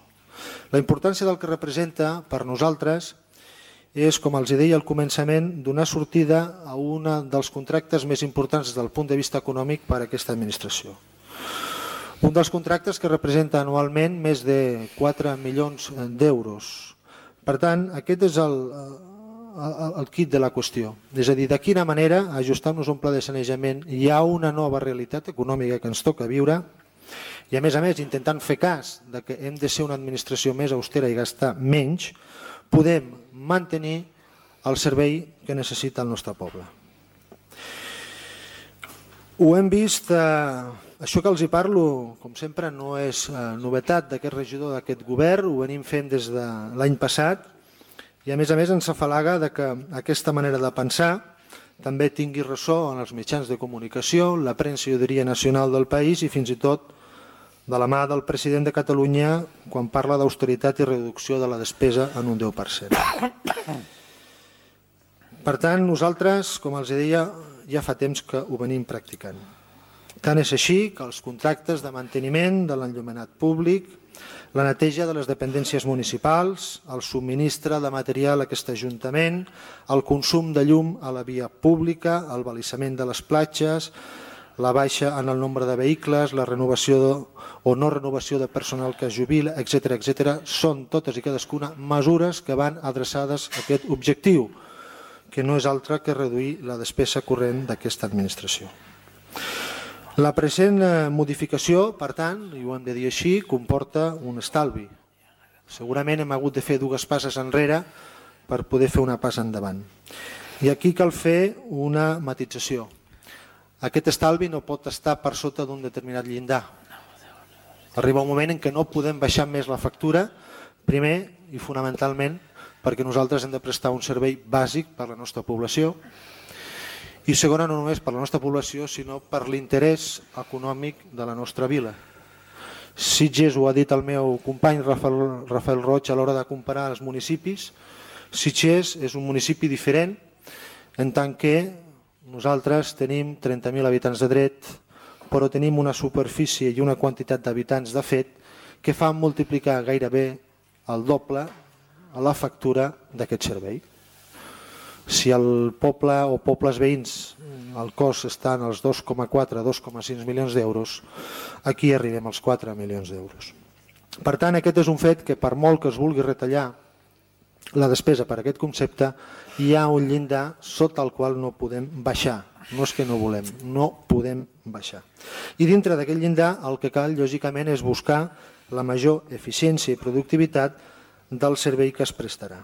La importància del que representa per nosaltres és, com els deia al començament, donar sortida a un dels contractes més importants des del punt de vista econòmic per a aquesta administració. Un dels contractes que representa anualment més de 4 milions d'euros. Per tant, aquest és el quid de la qüestió. És a dir, de quina manera, ajustant-nos un pla de sanejament, hi ha una nova realitat econòmica que ens toca viure, i a més, intentant fer cas de que hem de ser una administració més austera i gastar menys, podem mantenir el servei que necessita el nostre poble. Ho hem vist, això que els hi parlo, com sempre, no és novetat d'aquest regidor d'aquest govern, ho venim fent des de l'any passat, i a més ens afalaga que aquesta manera de pensar també tingui ressò en els mitjans de comunicació, la premsa, jo diria, nacional del país i fins i tot de la mà del president de Catalunya quan parla d'austeritat i reducció de la despesa en un 10%. Per tant, nosaltres, com els deia, ja fa temps que ho venim practicant. Tant és així que els contractes de manteniment de l'enllumenat públic, la neteja de les dependències municipals, el subministre de material a aquest ajuntament, el consum de llum a la via pública, el balissament de les platges, la baixa en el nombre de vehicles, la renovació o no renovació de personal que es jubila, etc. Són totes i cadascuna mesures que van adreçades a aquest objectiu, que no és altre que reduir la despesa corrent d'aquesta administració. La present modificació, per tant, i ho hem de dir així, comporta un estalvi. Segurament hem hagut de fer 2 passes enrere per poder fer una passa endavant. I aquí cal fer una matització. Aquest estalvi no pot estar per sota d'un determinat llindar. Arriba un moment en què no podem baixar més la factura, primer i fonamentalment perquè nosaltres hem de prestar un servei bàsic per a la nostra població i segona, no només per a la nostra població, sinó per l'interès econòmic de la nostra vila. Sitges, ho ha dit el meu company Rafael Roig a l'hora de comparar els municipis, Sitges és un municipi diferent en tant que nosaltres tenim 30.000 habitants de dret, però tenim una superfície i una quantitat d'habitants de fet que fan multiplicar gairebé el doble a la factura d'aquest servei. Si el poble o pobles veïns el cost està en els 2,4-2,6 milions d'euros, aquí arribem als 4 milions d'euros. Per tant, aquest és un fet que per molt que es vulgui retallar la despesa per aquest concepte, hi ha un llindar sota el qual no podem baixar. No és que no volem, no podem baixar. I dintre d'aquest llindar el que cal, lògicament, és buscar la major eficiència i productivitat del servei que es prestarà.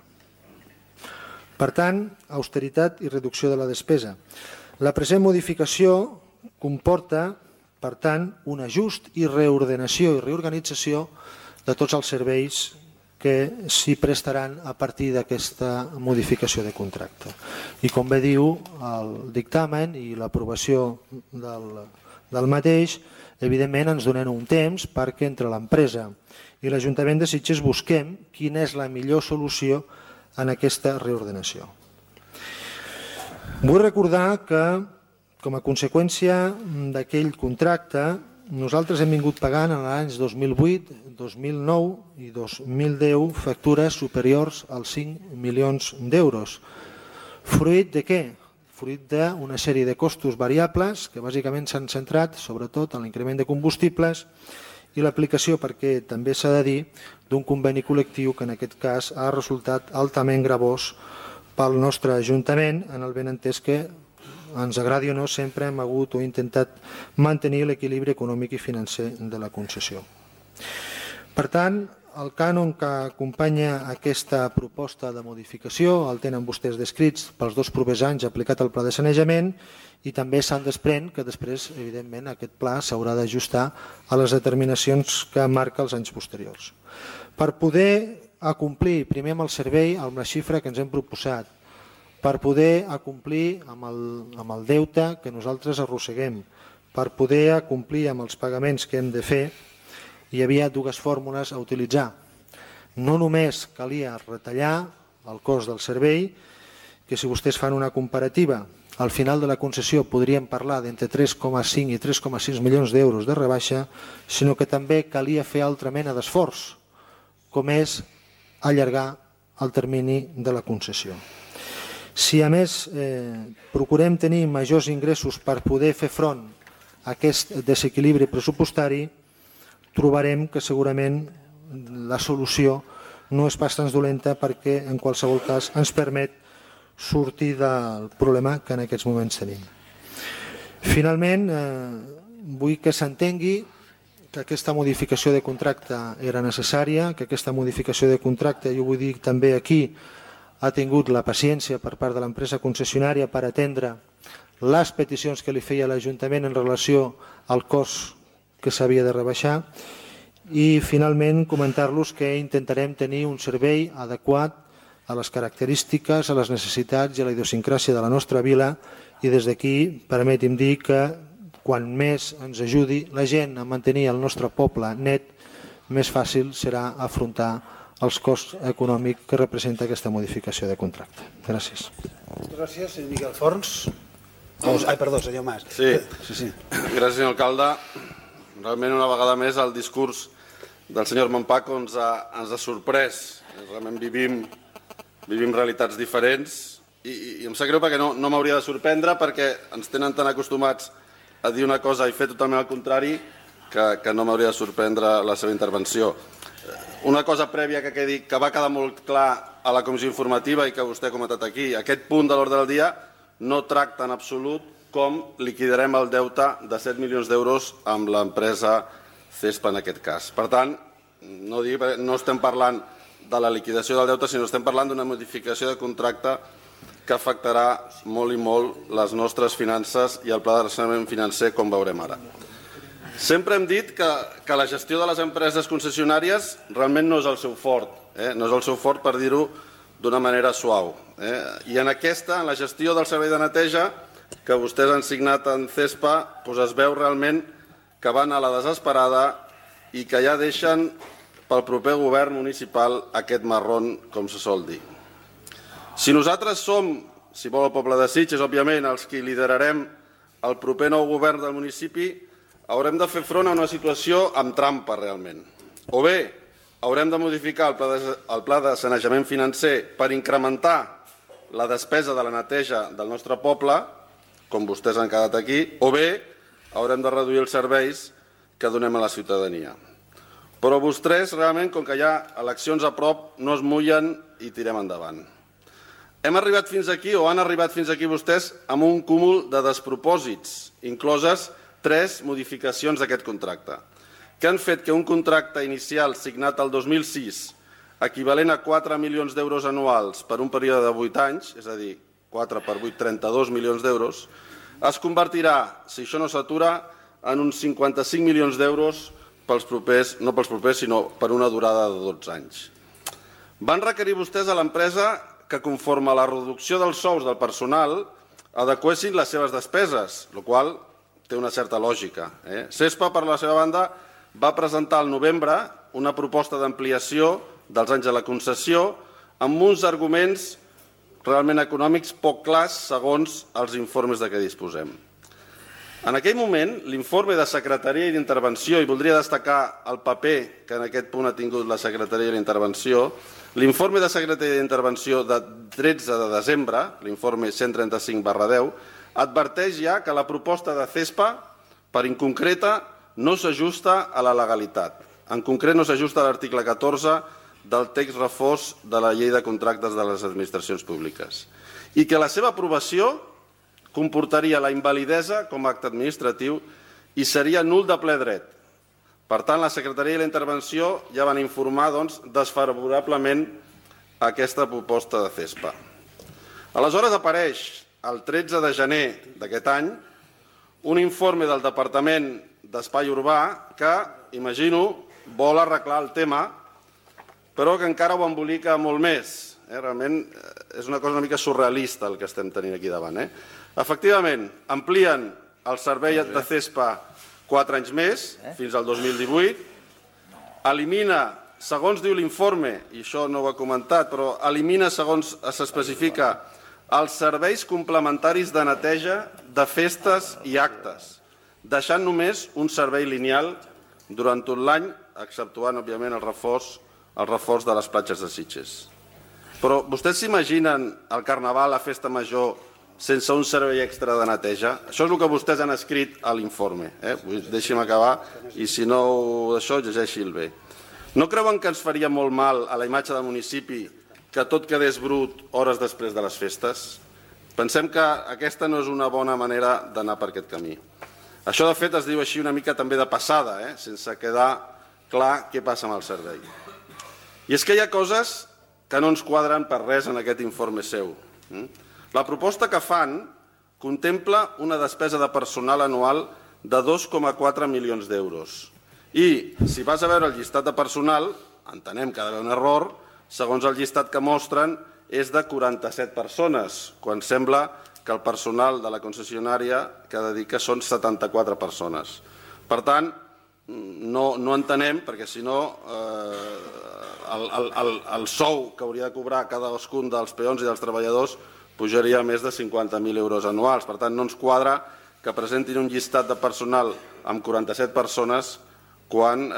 Per tant, austeritat i reducció de la despesa. La present modificació comporta, per tant, un ajust i reordenació i reorganització de tots els serveis que s'hi prestaran a partir d'aquesta modificació de contracte. I com bé diu el dictamen i l'aprovació del mateix, evidentment ens donen un temps perquè entre l'empresa i l'Ajuntament de Sitges busquem quina és la millor solució en aquesta reordenació. Vull recordar que, com a conseqüència d'aquell contracte, nosaltres hem vingut pagant en els anys 2008, 2009 i 2010 factures superiors als 5 milions d'euros. Fruit de què? Fruit d'una sèrie de costos variables que bàsicament s'han centrat sobretot en l'increment de combustibles i l'aplicació, perquè també s'ha de dir, d'un conveni col·lectiu que en aquest cas ha resultat altament gravós pel nostre Ajuntament, en el benentès que ens agradi o no, sempre hem hagut o intentat mantenir l'equilibri econòmic i financer de la concessió. Per tant, el cànon que acompanya aquesta proposta de modificació el tenen vostès descrits pels 2 propers anys aplicat al pla de sanejament i també se'n desprèn que després, evidentment, aquest pla s'haurà d'ajustar a les determinacions que marca els anys posteriors. Per poder acomplir primer amb el servei amb la xifra que ens hem proposat, per poder acomplir amb el deute que nosaltres arrosseguem, per poder acomplir amb els pagaments que hem de fer, hi havia 2 fórmules a utilitzar. No només calia retallar el cost del servei, que si vostès fan una comparativa, al final de la concessió podríem parlar d'entre 3,5 i 3,6 milions d'euros de rebaixa, sinó que també calia fer altra mena d'esforç, com és allargar el termini de la concessió. Si a més procurem tenir majors ingressos per poder fer front a aquest desequilibri pressupostari, trobarem que segurament la solució no és pas tan dolenta perquè en qualsevol cas ens permet sortir del problema que en aquests moments tenim. Finalment, vull que s'entengui que aquesta modificació de contracte era necessària, que aquesta modificació de contracte, jo vull dir també aquí, ha tingut la paciència per part de l'empresa concessionària per atendre les peticions que li feia l'Ajuntament en relació al cost que s'havia de rebaixar i finalment comentar-los que intentarem tenir un servei adequat a les característiques, a les necessitats i a la idiosincràsia de la nostra vila i des d'aquí permeti'm dir que quan més ens ajudi la gent a mantenir el nostre poble net, més fàcil serà afrontar els costs econòmics que representa aquesta modificació de contracte. Gràcies. Gràcies, senyor Miquel Forns. Ai, perdó, senyor Mas. Sí. Gràcies, senyor alcalde. Realment, una vegada més, el discurs del senyor Montpaco ens ha sorprès. Realment vivim realitats diferents i em sap greu perquè no m'hauria de sorprendre perquè ens tenen tan acostumats a dir una cosa i fer totalment el contrari que no m'hauria de sorprendre la seva intervenció. Una cosa prèvia que quedi, que va quedar molt clar a la comissió informativa i que vostè ha comentat aquí, aquest punt de l'ordre del dia no tracta en absolut com liquidarem el deute de 7 milions d'euros amb l'empresa CESPA en aquest cas. Per tant, no estem parlant de la liquidació del deute, sinó estem parlant d'una modificació de contracte que afectarà molt i molt les nostres finances i el pla de rescabalament financer, com veurem ara. Sempre hem dit que la gestió de les empreses concessionàries realment no és el seu fort, no és el seu fort per dir-ho d'una manera suau. I en aquesta, en la gestió del servei de neteja, que vostès han signat en CESPA, es veu realment que van a la desesperada i que ja deixen pel proper govern municipal aquest marrón, com se sol dir. Si nosaltres som, si vol el poble de Sitges, òbviament, els que liderarem el proper nou govern del municipi, haurem de fer front a una situació amb trampa, realment. O bé, haurem de modificar el pla de sanejament financer per incrementar la despesa de la neteja del nostre poble, com vostès han quedat aquí, o bé haurem de reduir els serveis que donem a la ciutadania. Però vostès, realment, com que hi ha eleccions a prop, no es mullen i tirem endavant. Hem arribat fins aquí, o han arribat fins aquí vostès, amb un cúmul de despropòsits, incloses 3 modificacions d'aquest contracte, que han fet que un contracte inicial signat el 2006, equivalent a 4 milions d'euros anuals per un període de 8 anys, és a dir, 4 per 8, 32 milions d'euros, es convertirà, si això no s'atura, en uns 55 milions d'euros pels propers, no pels propers, sinó per una durada de 12 anys. Van requerir vostès a l'empresa que, conforme a la reducció dels sous del personal, adequessin les seves despeses, el qual té una certa lògica. CESPA, per la seva banda, va presentar al novembre una proposta d'ampliació dels anys de la concessió amb uns arguments realment econòmics poc clars segons els informes de què disposem. En aquell moment, l'informe de Secretaria i d'Intervenció, i voldria destacar el paper que en aquest punt ha tingut la Secretaria i l'Intervenció, l'informe de Secretaria i d'Intervenció de 13 de desembre, l'informe 135/10, adverteix ja que la proposta de CESPA, per inconcreta, no s'ajusta a la legalitat. En concret, no s'ajusta a l'article 14 del text refós de la Llei de Contractes de les Administracions Públiques i que la seva aprovació comportaria la invalidesa com a acte administratiu i seria nul de ple dret. Per tant, la Secretaria i la Intervenció ja van informar desfavorablement aquesta proposta de CESPA. Aleshores apareix el 13 de gener d'aquest any un informe del Departament d'Espai Urbà que, imagino, vol arreglar el tema, però que encara ho embolica molt més. Realment és una cosa una mica surrealista el que estem tenint aquí davant. Efectivament, amplien el servei de CESPA 4 anys més, fins al 2018, elimina, segons diu l'informe, i això no ho ha comentat, però elimina, segons s'especifica, els serveis complementaris de neteja de festes i actes, deixant només un servei lineal durant tot l'any, exceptuant, òbviament, el reforç de les platges de Sitges. Però vostès s'imaginen el Carnaval, la festa major, sense un servei extra de neteja? Això és el que vostès han escrit a l'informe. Deixi'm acabar, i si no això, llegeixi-el bé. No creuen que ens faria molt mal a la imatge del municipi que tot quedés brut hores després de les festes? Pensem que aquesta no és una bona manera d'anar per aquest camí. Això, de fet, es diu així una mica també de passada, sense quedar clar què passa amb el servei. I és que hi ha coses que no ens quadren per res en aquest informe seu. La proposta que fan contempla una despesa de personal anual de 2,4 milions d'euros. I, si vas a veure el llistat de personal, entenem que ha d'haver un error, segons el llistat que mostren, és de 47 persones, quan sembla que el personal de la concessionària que ha de dir que són 74 persones. Per tant, no entenem, perquè si no el sou que hauria de cobrar cadascun dels peons i dels treballadors pujaria a més de 50.000 euros anuals. Per tant, no ens quadra que presentin un llistat de personal amb 47 persones quan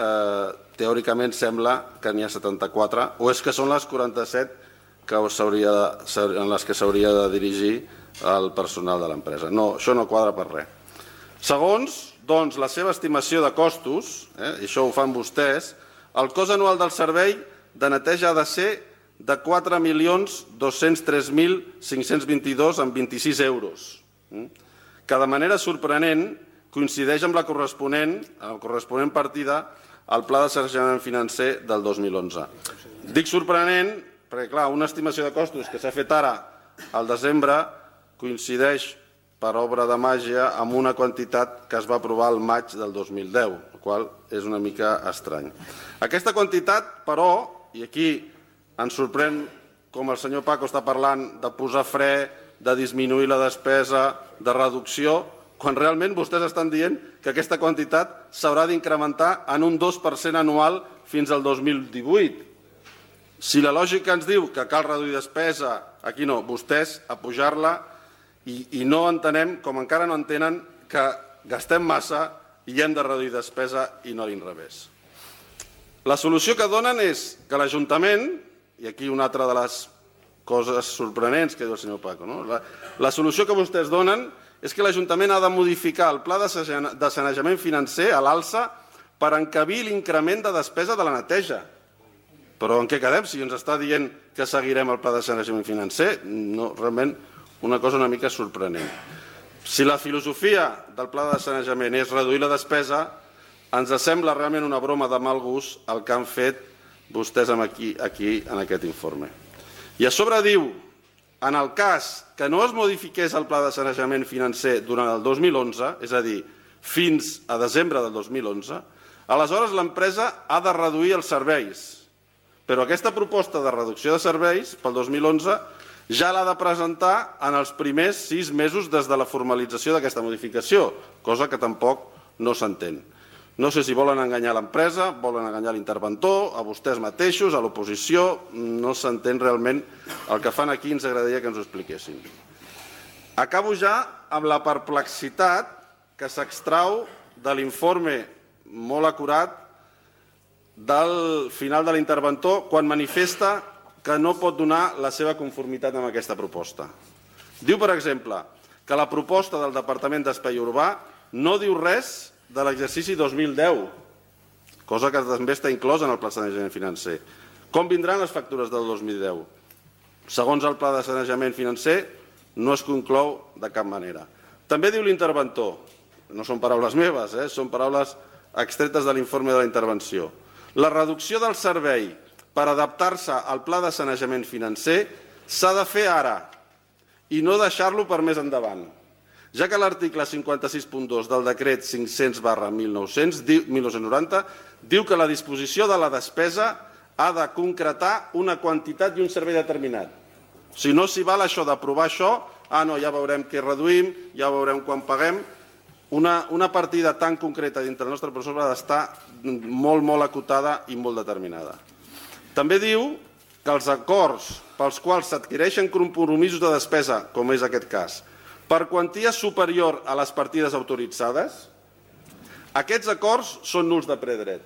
teòricament sembla que n'hi ha 74, o és que són les 47 en les que s'hauria de dirigir el personal de l'empresa. No, això no quadra per res. Segons, doncs, la seva estimació de costos, i això ho fan vostès, el cost anual del servei de neteja ha de ser de 4.203.522,26 euros, que de manera sorprenent coincideix amb la corresponent partida al Pla de Sanejament Financer del 2011. Dic sorprenent perquè, clar, una estimació de costos que s'ha fet ara al desembre coincideix per obra de màgia amb una quantitat que es va aprovar al maig del 2010, el qual és una mica estrany. Aquesta quantitat, però, i aquí ens sorprèn com el senyor Paco està parlant de posar fre, de disminuir la despesa, de reducció, quan realment vostès estan dient que aquesta quantitat s'haurà d'incrementar en un 2% anual fins al 2018. Si la lògica ens diu que cal reduir despesa, aquí no, vostès a pujar-la i no entenem, com encara no entenen, que gastem massa i hem de reduir despesa i no a l'inrevés. La solució que donen és que l'Ajuntament, i aquí una altra de les coses sorprenents que diu el senyor Paco, la solució que vostès donen és que l'Ajuntament ha de modificar el pla de sanejament financer a l'alça per encabir l'increment de despesa de la neteja. Però en què quedem si ens està dient que seguirem el pla de sanejament financer? No, realment una cosa una mica sorprenent. Si la filosofia del pla de sanejament és reduir la despesa, ens sembla realment una broma de mal gust el que han fet vostès aquí en aquest informe. I a sobre diu, en el cas que no es modifiqués el pla de sanejament financer durant el 2011, és a dir, fins a desembre del 2011, aleshores l'empresa ha de reduir els serveis. Però aquesta proposta de reducció de serveis pel 2011 ja l'ha de presentar en els primers 6 mesos des de la formalització d'aquesta modificació, cosa que tampoc no s'entén. No sé si volen enganyar l'empresa, volen enganyar l'interventor, a vostès mateixos, a l'oposició, no s'entén realment el que fan aquí, ens agradaria que ens ho expliquessin. Acabo ja amb la perplexitat que s'extrau de l'informe molt acurat del final de l'interventor quan manifesta que no pot donar la seva conformitat amb aquesta proposta. Diu, per exemple, que la proposta del Departament d'Espai Urbà no diu res de l'exercici 2010, cosa que també està inclosa en el pla de sanejament financer. Com vindran les factures del 2010? Segons el pla de sanejament financer, no es conclou de cap manera. També diu l'interventor, no són paraules meves, són paraules extretes de l'informe de la intervenció. La reducció del servei per adaptar-se al pla de sanejament financer s'ha de fer ara i no deixar-lo per més endavant, ja que l'article 56.2 del decret 500/1990 diu que la disposició de la despesa ha de concretar una quantitat i un servei determinat. Si no s'hi val això d'aprovar això, no, ja veurem què reduïm, ja veurem quan paguem. Una partida tan concreta dintre del nostre pressupost ha d'estar molt acotada i molt determinada. També diu que els acords pels quals s'adquireixen compromisos de despesa, com és aquest cas, per quantia superior a les partides autoritzades, aquests acords són nuls de ple dret.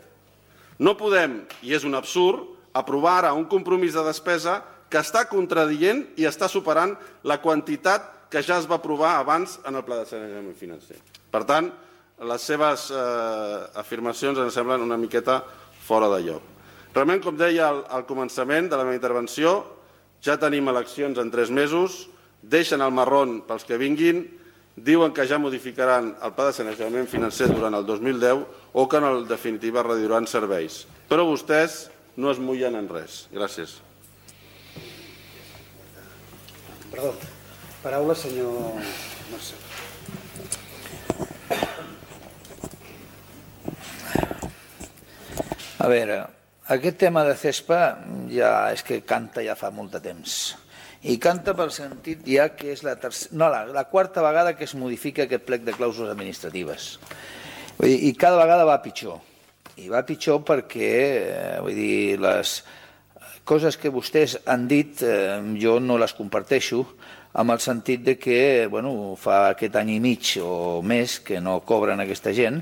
No podem, i és un absurd, aprovar ara un compromís de despesa que està contradient i està superant la quantitat que ja es va aprovar abans en el pla de sanejament financer. Per tant, les seves afirmacions ens semblen una miqueta fora de lloc. Realment, com deia al començament de la meva intervenció, ja tenim eleccions en 3 mesos, deixen el marrón pels que vinguin, diuen que ja modificaran el pla de sanejament financer durant el 2010 o que en definitiva reduiran serveis. Però vostès no es mullen en res. Gràcies. Perdó. Paraula, senyor Mercè. A veure, aquest tema de CESPA ja és que canta ja fa molt de temps. I canta pel sentit ja que és la 4ª vegada que es modifica aquest plec de clàusules administratives. I cada vegada va pitjor. I va pitjor perquè les coses que vostès han dit jo no les comparteixo, amb el sentit de que fa aquest any i mig o més que no cobren aquesta gent,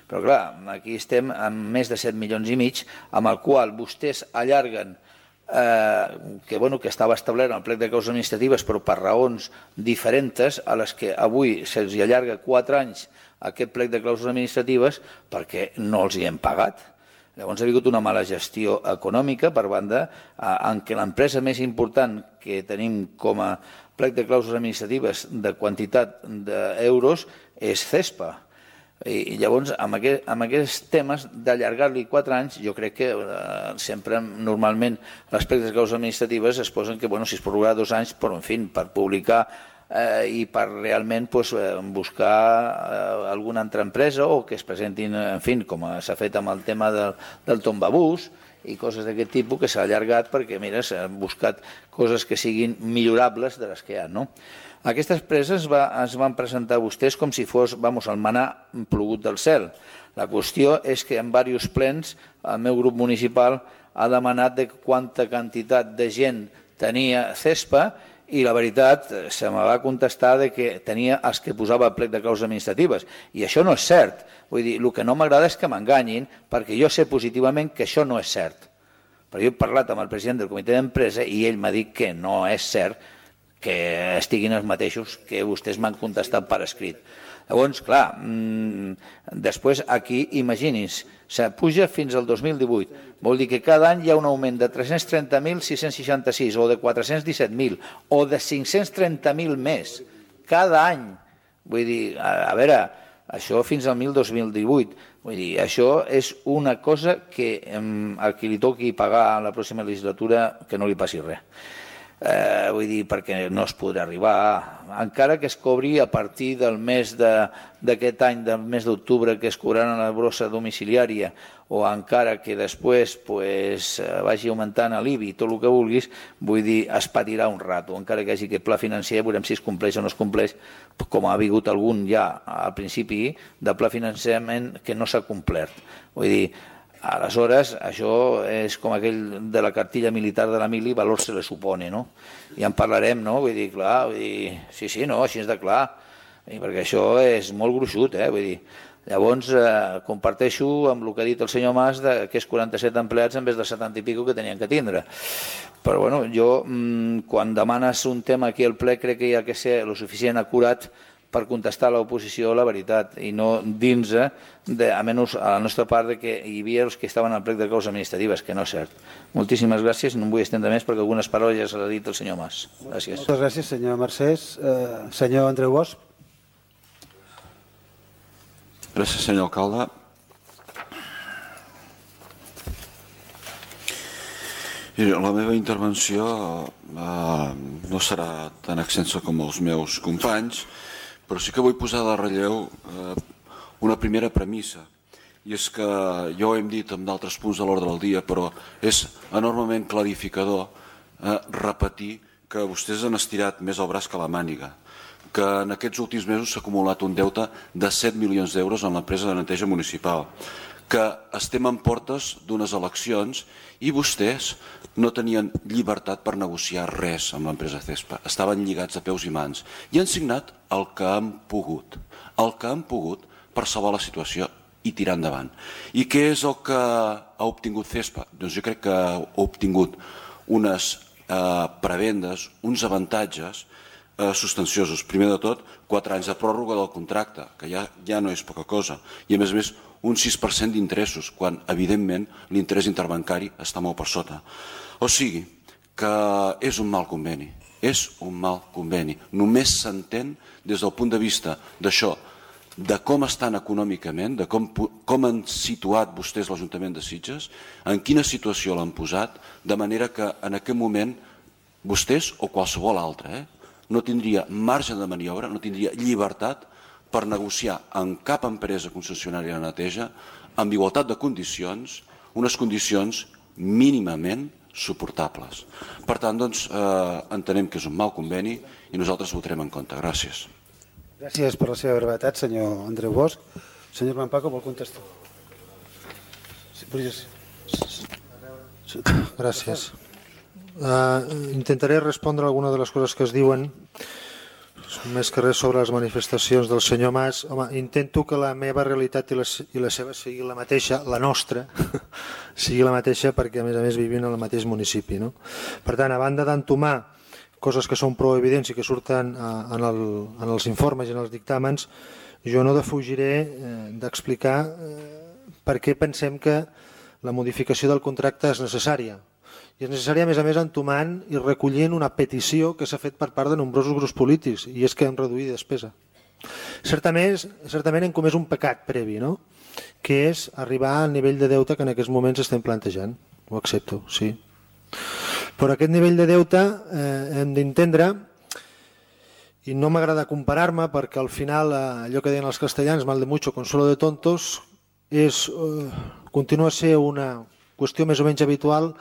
però clar, aquí estem amb més de 7 milions i mig, amb el qual vostès allarguen que estava establert en el plec de causes administratives però per raons diferents a les que avui se'ls allarga 4 anys aquest plec de clàusules administratives perquè no els hi hem pagat. Llavors ha hagut una mala gestió econòmica per banda en què l'empresa més important que tenim com a plec de clàusules administratives de quantitat d'euros és CESPA. I llavors, amb aquests temes d'allargar-li 4 anys, jo crec que sempre, normalment, les plecs de causes administratives es posen que, si es prorrogarà 2 anys, però, en fi, per publicar i per realment buscar alguna altra empresa o que es presentin, en fi, com s'ha fet amb el tema del tombabús i coses d'aquest tipus que s'ha allargat perquè, mira, s'han buscat coses que siguin millorables de les que hi ha, no? Aquestes preses es van presentar vostès com si fos, el manà plogut del cel. La qüestió és que en diversos plens el meu grup municipal ha demanat de quanta quantitat de gent tenia CESPA i la veritat se me va contestar que tenia els que posava el plec de causes administratives. I això no és cert. Vull dir, el que no m'agrada és que m'enganyin perquè jo sé positivament que això no és cert. Però jo he parlat amb el president del comitè d'empresa i ell m'ha dit que no és cert que estiguin els mateixos que vostès m'han contestat per escrit. Llavors, clar, després aquí, imagini's, puja fins al 2018. Vol dir que cada any hi ha un augment de 330.666 o de 417.000 o de 530.000 més. Cada any. Vull dir, a veure, això fins al 2018. Vull dir, això és una cosa que a qui li toqui pagar a la pròxima legislatura que no li passi res. Vull dir, perquè no es podrà arribar, encara que es cobri a partir del mes d'aquest any, del mes d'octubre, que es cobraran la brossa domiciliària, o encara que després vagi augmentant l'IBI i tot el que vulguis, vull dir, es patirà un rato, encara que hi hagi aquest pla financer, veurem si es compleix o no es compleix, com ha hagut algun ja al principi de pla finançament que no s'ha complert. Vull dir, aleshores, això és com aquell de la cartilla militar de la mili, valor se le supone, no? Ja en parlarem, no? Vull dir, clar, sí, no, així és de clar, perquè això és molt gruixut, vull dir. Llavors, comparteixo amb el que ha dit el senyor Mas que és 47 empleats en vez de 70 i pico que tenien que tindre. Però, bueno, jo, quan demanes un tema aquí al ple, crec que hi ha que ser el suficient acurat per contestar a l'oposició la veritat i no dins, almenys a la nostra part, que hi havia els que estaven al plec de causes administratives, que no és cert. Moltíssimes gràcies, no em vull estendre més perquè algunes paraules ja se les ha dit el senyor Mas. Gràcies. Moltes gràcies, senyor Mercès. Senyor Andreu Bosch. Gràcies, senyor alcalde. La meva intervenció no serà tan extensa com els meus companys, però sí que vull posar de relleu una primera premissa, i és que ja ho hem dit en d'altres punts de l'ordre del dia, però és enormement clarificador repetir que vostès han estirat més el braç que la màniga, que en aquests últims mesos s'ha acumulat un deute de 7 milions d'euros en l'empresa de neteja municipal, que estem en portes d'unes eleccions i vostès no tenien llibertat per negociar res amb l'empresa CESPA. Estaven lligats de peus i mans i han signat el que han pogut per salvar la situació i tirar endavant. I què és el que ha obtingut CESPA? Doncs jo crec que ha obtingut unes prebendes, uns avantatges substanciosos. Primer de tot, 4 anys de pròrroga del contracte, que ja no és poca cosa, i a més un 6% d'interessos, quan evidentment l'interès interbancari està molt per sota. O sigui, que és un mal conveni, Només s'entén des del punt de vista d'això, de com estan econòmicament, de com han situat vostès l'Ajuntament de Sitges, en quina situació l'han posat, de manera que en aquest moment vostès o qualsevol altre no tindria marge de maniobra, no tindria llibertat per negociar amb cap empresa concessionària de neteja amb igualtat de condicions, unes condicions mínimament suportables. Per tant, doncs, entenem que és un mal conveni i nosaltres votarem en contra. Gràcies. Gràcies per la seva brevetat, senyor Andreu Bosch. Senyor Mampaco, vol contestar? Gràcies. Intentaré respondre alguna de les coses que es diuen, més que res sobre les manifestacions del senyor Mas. Home, intento que la meva realitat i la seva sigui la mateixa, la nostra, sigui la mateixa perquè a més vivim en el mateix municipi. Per tant, a banda d'entomar coses que són prou evidents i que surten en els informes i en els dictàmens, jo no defugiré d'explicar per què pensem que la modificació del contracte és necessària. I és necessària, a més, entomant i recollint una petició que s'ha fet per part de nombrosos grups polítics, i és que hem reduït despesa. Certament hem comès un pecat previ, no? Que és arribar al nivell de deute que en aquests moments estem plantejant. Ho accepto, sí. Però aquest nivell de deute hem d'entendre, i no m'agrada comparar-me perquè al final allò que deien els castellans, mal de mucho, consuelo de tontos, continua a ser una qüestió més o menys habitual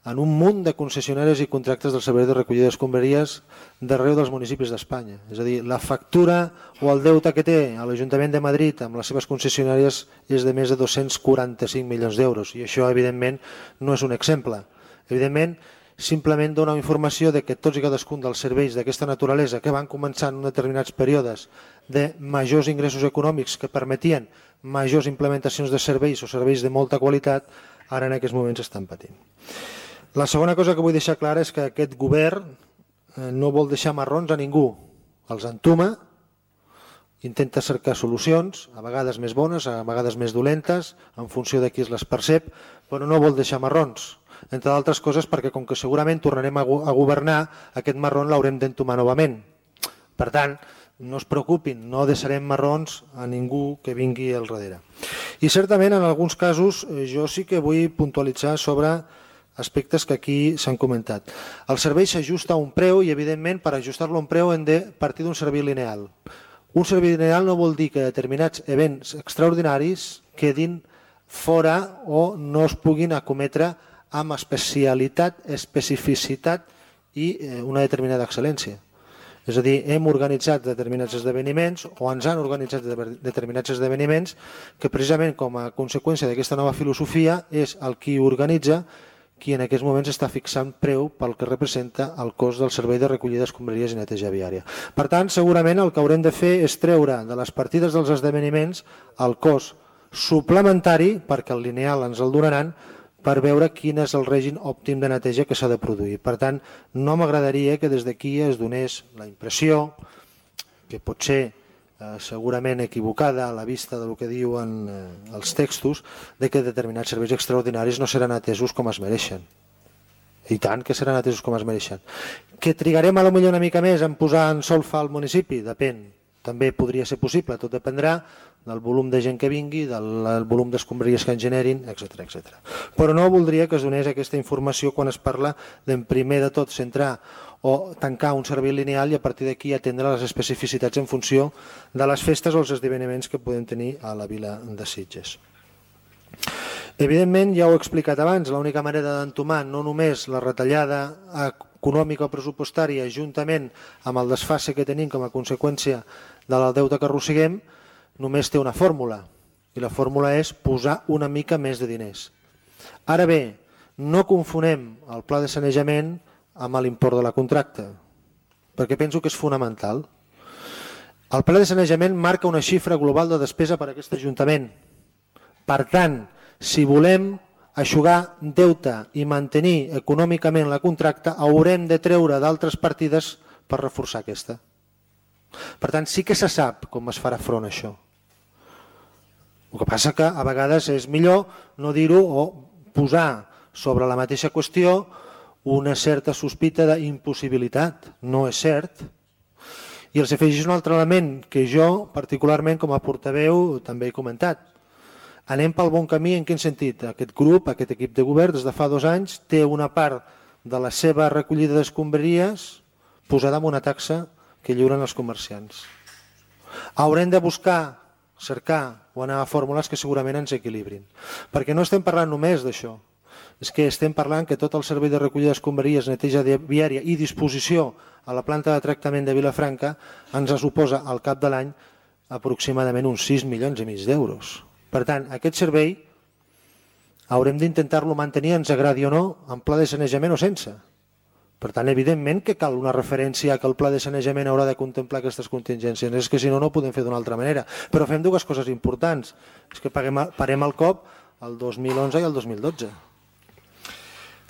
en un munt de concessionaris i contractes del servei de recollida d'escombraries d'arreu dels municipis d'Espanya. És a dir, la factura o el deute que té l'Ajuntament de Madrid amb les seves concessionàries és de més de 245 milions d'euros i això, evidentment, no és un exemple. Evidentment, simplement dona informació de que tots i cadascun dels serveis d'aquesta naturalesa que van començar en determinats períodes de majors ingressos econòmics que permetien majors implementacions de serveis o serveis de molta qualitat, ara en aquests moments estan patint. La segona cosa que vull deixar clara és que aquest govern no vol deixar marrons a ningú. Els entuma, intenta cercar solucions, a vegades més bones, a vegades més dolentes, en funció de qui es les percep, però no vol deixar marrons. Entre d'altres coses perquè com que segurament tornarem a governar, aquest marrón l'haurem d'entomar novament. Per tant, no es preocupin, no deixarem marrons a ningú que vingui al darrere. I certament en alguns casos jo sí que vull puntualitzar sobre aspectes que aquí s'han comentat. El servei s'ajusta a un preu i evidentment per ajustar-lo a un preu hem de partir d'un servei lineal. Un servei lineal no vol dir que determinats events extraordinaris quedin fora o no es puguin acometre amb especialitat, especificitat i una determinada excel·lència. És a dir, hem organitzat determinats esdeveniments o ens han organitzat determinats esdeveniments que precisament com a conseqüència d'aquesta nova filosofia és el qui organitza qui en aquests moments està fixant preu pel que representa el cost del servei de recollida d'escombraries i neteja viària. Per tant, segurament el que haurem de fer és treure de les partides dels esdeveniments el cost suplementari, perquè el lineal ens el donaran, per veure quin és el règim òptim de neteja que s'ha de produir. Per tant, no m'agradaria que des d'aquí es donés la impressió, que pot ser segurament equivocada a la vista del que diuen els textos, de que determinats serveis extraordinaris no seran atesos com es mereixen. I tant que seran atesos com es mereixen. Que trigarem a lo millor una mica més en posar en solfa al municipi? Depèn. També podria ser possible, tot dependrà del volum de gent que vingui, del volum d'escombraries que en generin, etc. Però no voldria que es donés aquesta informació quan es parla d'en primer de tot centrar o tancar un servei lineal i a partir d'aquí atendre les especificitats en funció de les festes o els esdeveniments que podem tenir a la vila de Sitges. Evidentment, ja ho he explicat abans, l'única manera d'entomar no només la retallada econòmica o pressupostària juntament amb el desfase que tenim com a conseqüència del deute que arrosseguem, només té una fórmula, i la fórmula és posar una mica més de diners. Ara bé, no confonem el pla de sanejament amb l'import de la contracta, perquè penso que és fonamental. El pla de sanejament marca una xifra global de despesa per a aquest Ajuntament. Per tant, si volem eixugar deute i mantenir econòmicament la contracta, haurem de treure d'altres partides per reforçar aquesta. Per tant, sí que se sap com es farà front a això. El que passa que a vegades és millor no dir-ho o posar sobre la mateixa qüestió una certa sospita d'impossibilitat. No és cert. I els afegeix un altre element que jo, particularment com a portaveu, també he comentat. Anem pel bon camí en quin sentit? Aquest grup, aquest equip de govern, des de fa 2 anys, té una part de la seva recollida d'escombraries posada en una taxa que lliuren els comerciants. Haurem de buscar, cercar o anar a fórmules que segurament ens equilibrin. Perquè no estem parlant només d'això. És que estem parlant que tot el servei de recollida d'escombraries, neteja viària i disposició a la planta de tractament de Vilafranca ens suposa al cap de l'any aproximadament uns 6,5 milions d'euros. Per tant, aquest servei haurem d'intentar-lo mantenir, ens agradi o no, en pla de sanejament o sense. Per tant, evidentment que cal una referència que el pla de sanejament haurà de contemplar aquestes contingències. És que si no, no ho podem fer d'una altra manera. Però fem 2 coses importants. És que parem el cop el 2011 i el 2012.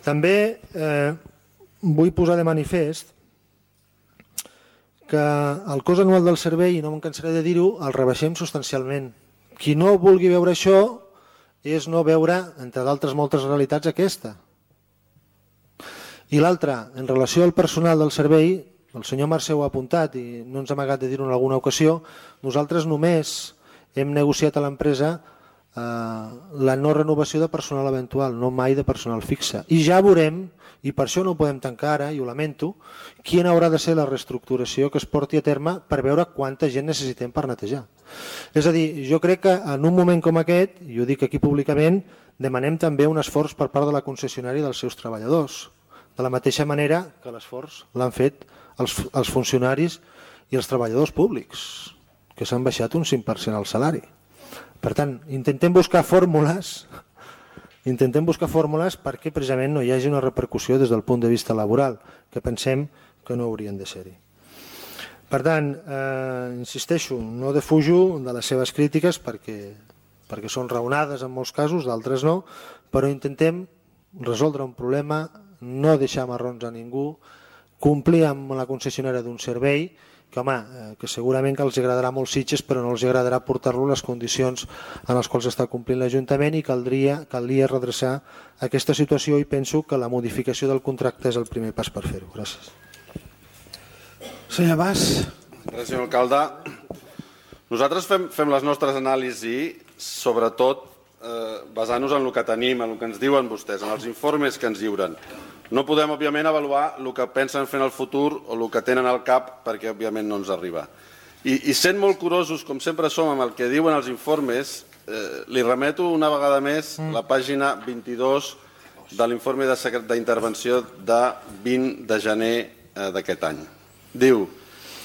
També vull posar de manifest que el cost anual del servei, i no me'n cansaré de dir-ho, el rebaixem substancialment. Qui no vulgui veure això és no veure, entre d'altres moltes realitats, aquesta. I l'altra, en relació al personal del servei, el senyor Mercè ho ha apuntat i no ens ha amagat de dir-ho en alguna ocasió, nosaltres només hem negociat a l'empresa la no renovació de personal eventual, no mai de personal fixe. I ja veurem, i per això no ho podem tancar ara, i ho lamento, quina haurà de ser la reestructuració que es porti a terme per veure quanta gent necessitem per netejar. És a dir, jo crec que en un moment com aquest, i ho dic aquí públicament, demanem també un esforç per part de la concessionària i dels seus treballadors, de la mateixa manera que l'esforç l'han fet els funcionaris i els treballadors públics, que s'han baixat un 5% al salari. Per tant, intentem buscar fórmules perquè precisament no hi hagi una repercussió des del punt de vista laboral, que pensem que no haurien de ser-hi. Per tant, insisteixo, no defujo de les seves crítiques perquè són raonades en molts casos, d'altres no, però intentem resoldre un problema, no deixar marrons a ningú, complir amb la concessionària d'un servei que, home, que segurament que els agradarà molt Sitges, però no els agradarà portar-lo a les condicions en les quals està complint l'Ajuntament i calia redreçar aquesta situació i penso que la modificació del contracte és el primer pas per fer-ho. Gràcies. Senyor Mas. Gràcies, senyor alcalde. Nosaltres fem les nostres anàlisis, sobretot basant-nos en el que tenim, en el que ens diuen vostès, en els informes que ens lliuren. No podem, òbviament, avaluar el que pensen fer en el futur o el que tenen al cap perquè, òbviament, no ens arriba. I sent molt curosos, com sempre som, amb el que diuen els informes, li remeto una vegada més la pàgina 22 de l'informe d'intervenció de 20 de gener d'aquest any. Diu,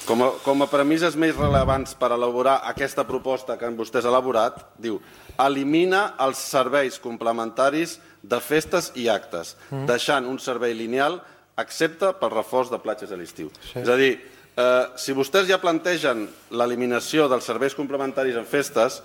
com a premisses més rellevants per elaborar aquesta proposta que vostès han elaborat, diu, elimina els serveis complementaris de festes i actes, deixant un servei lineal excepte pel reforç de platges a l'estiu. És a dir, si vostès ja plantegen l'eliminació dels serveis complementaris en festes,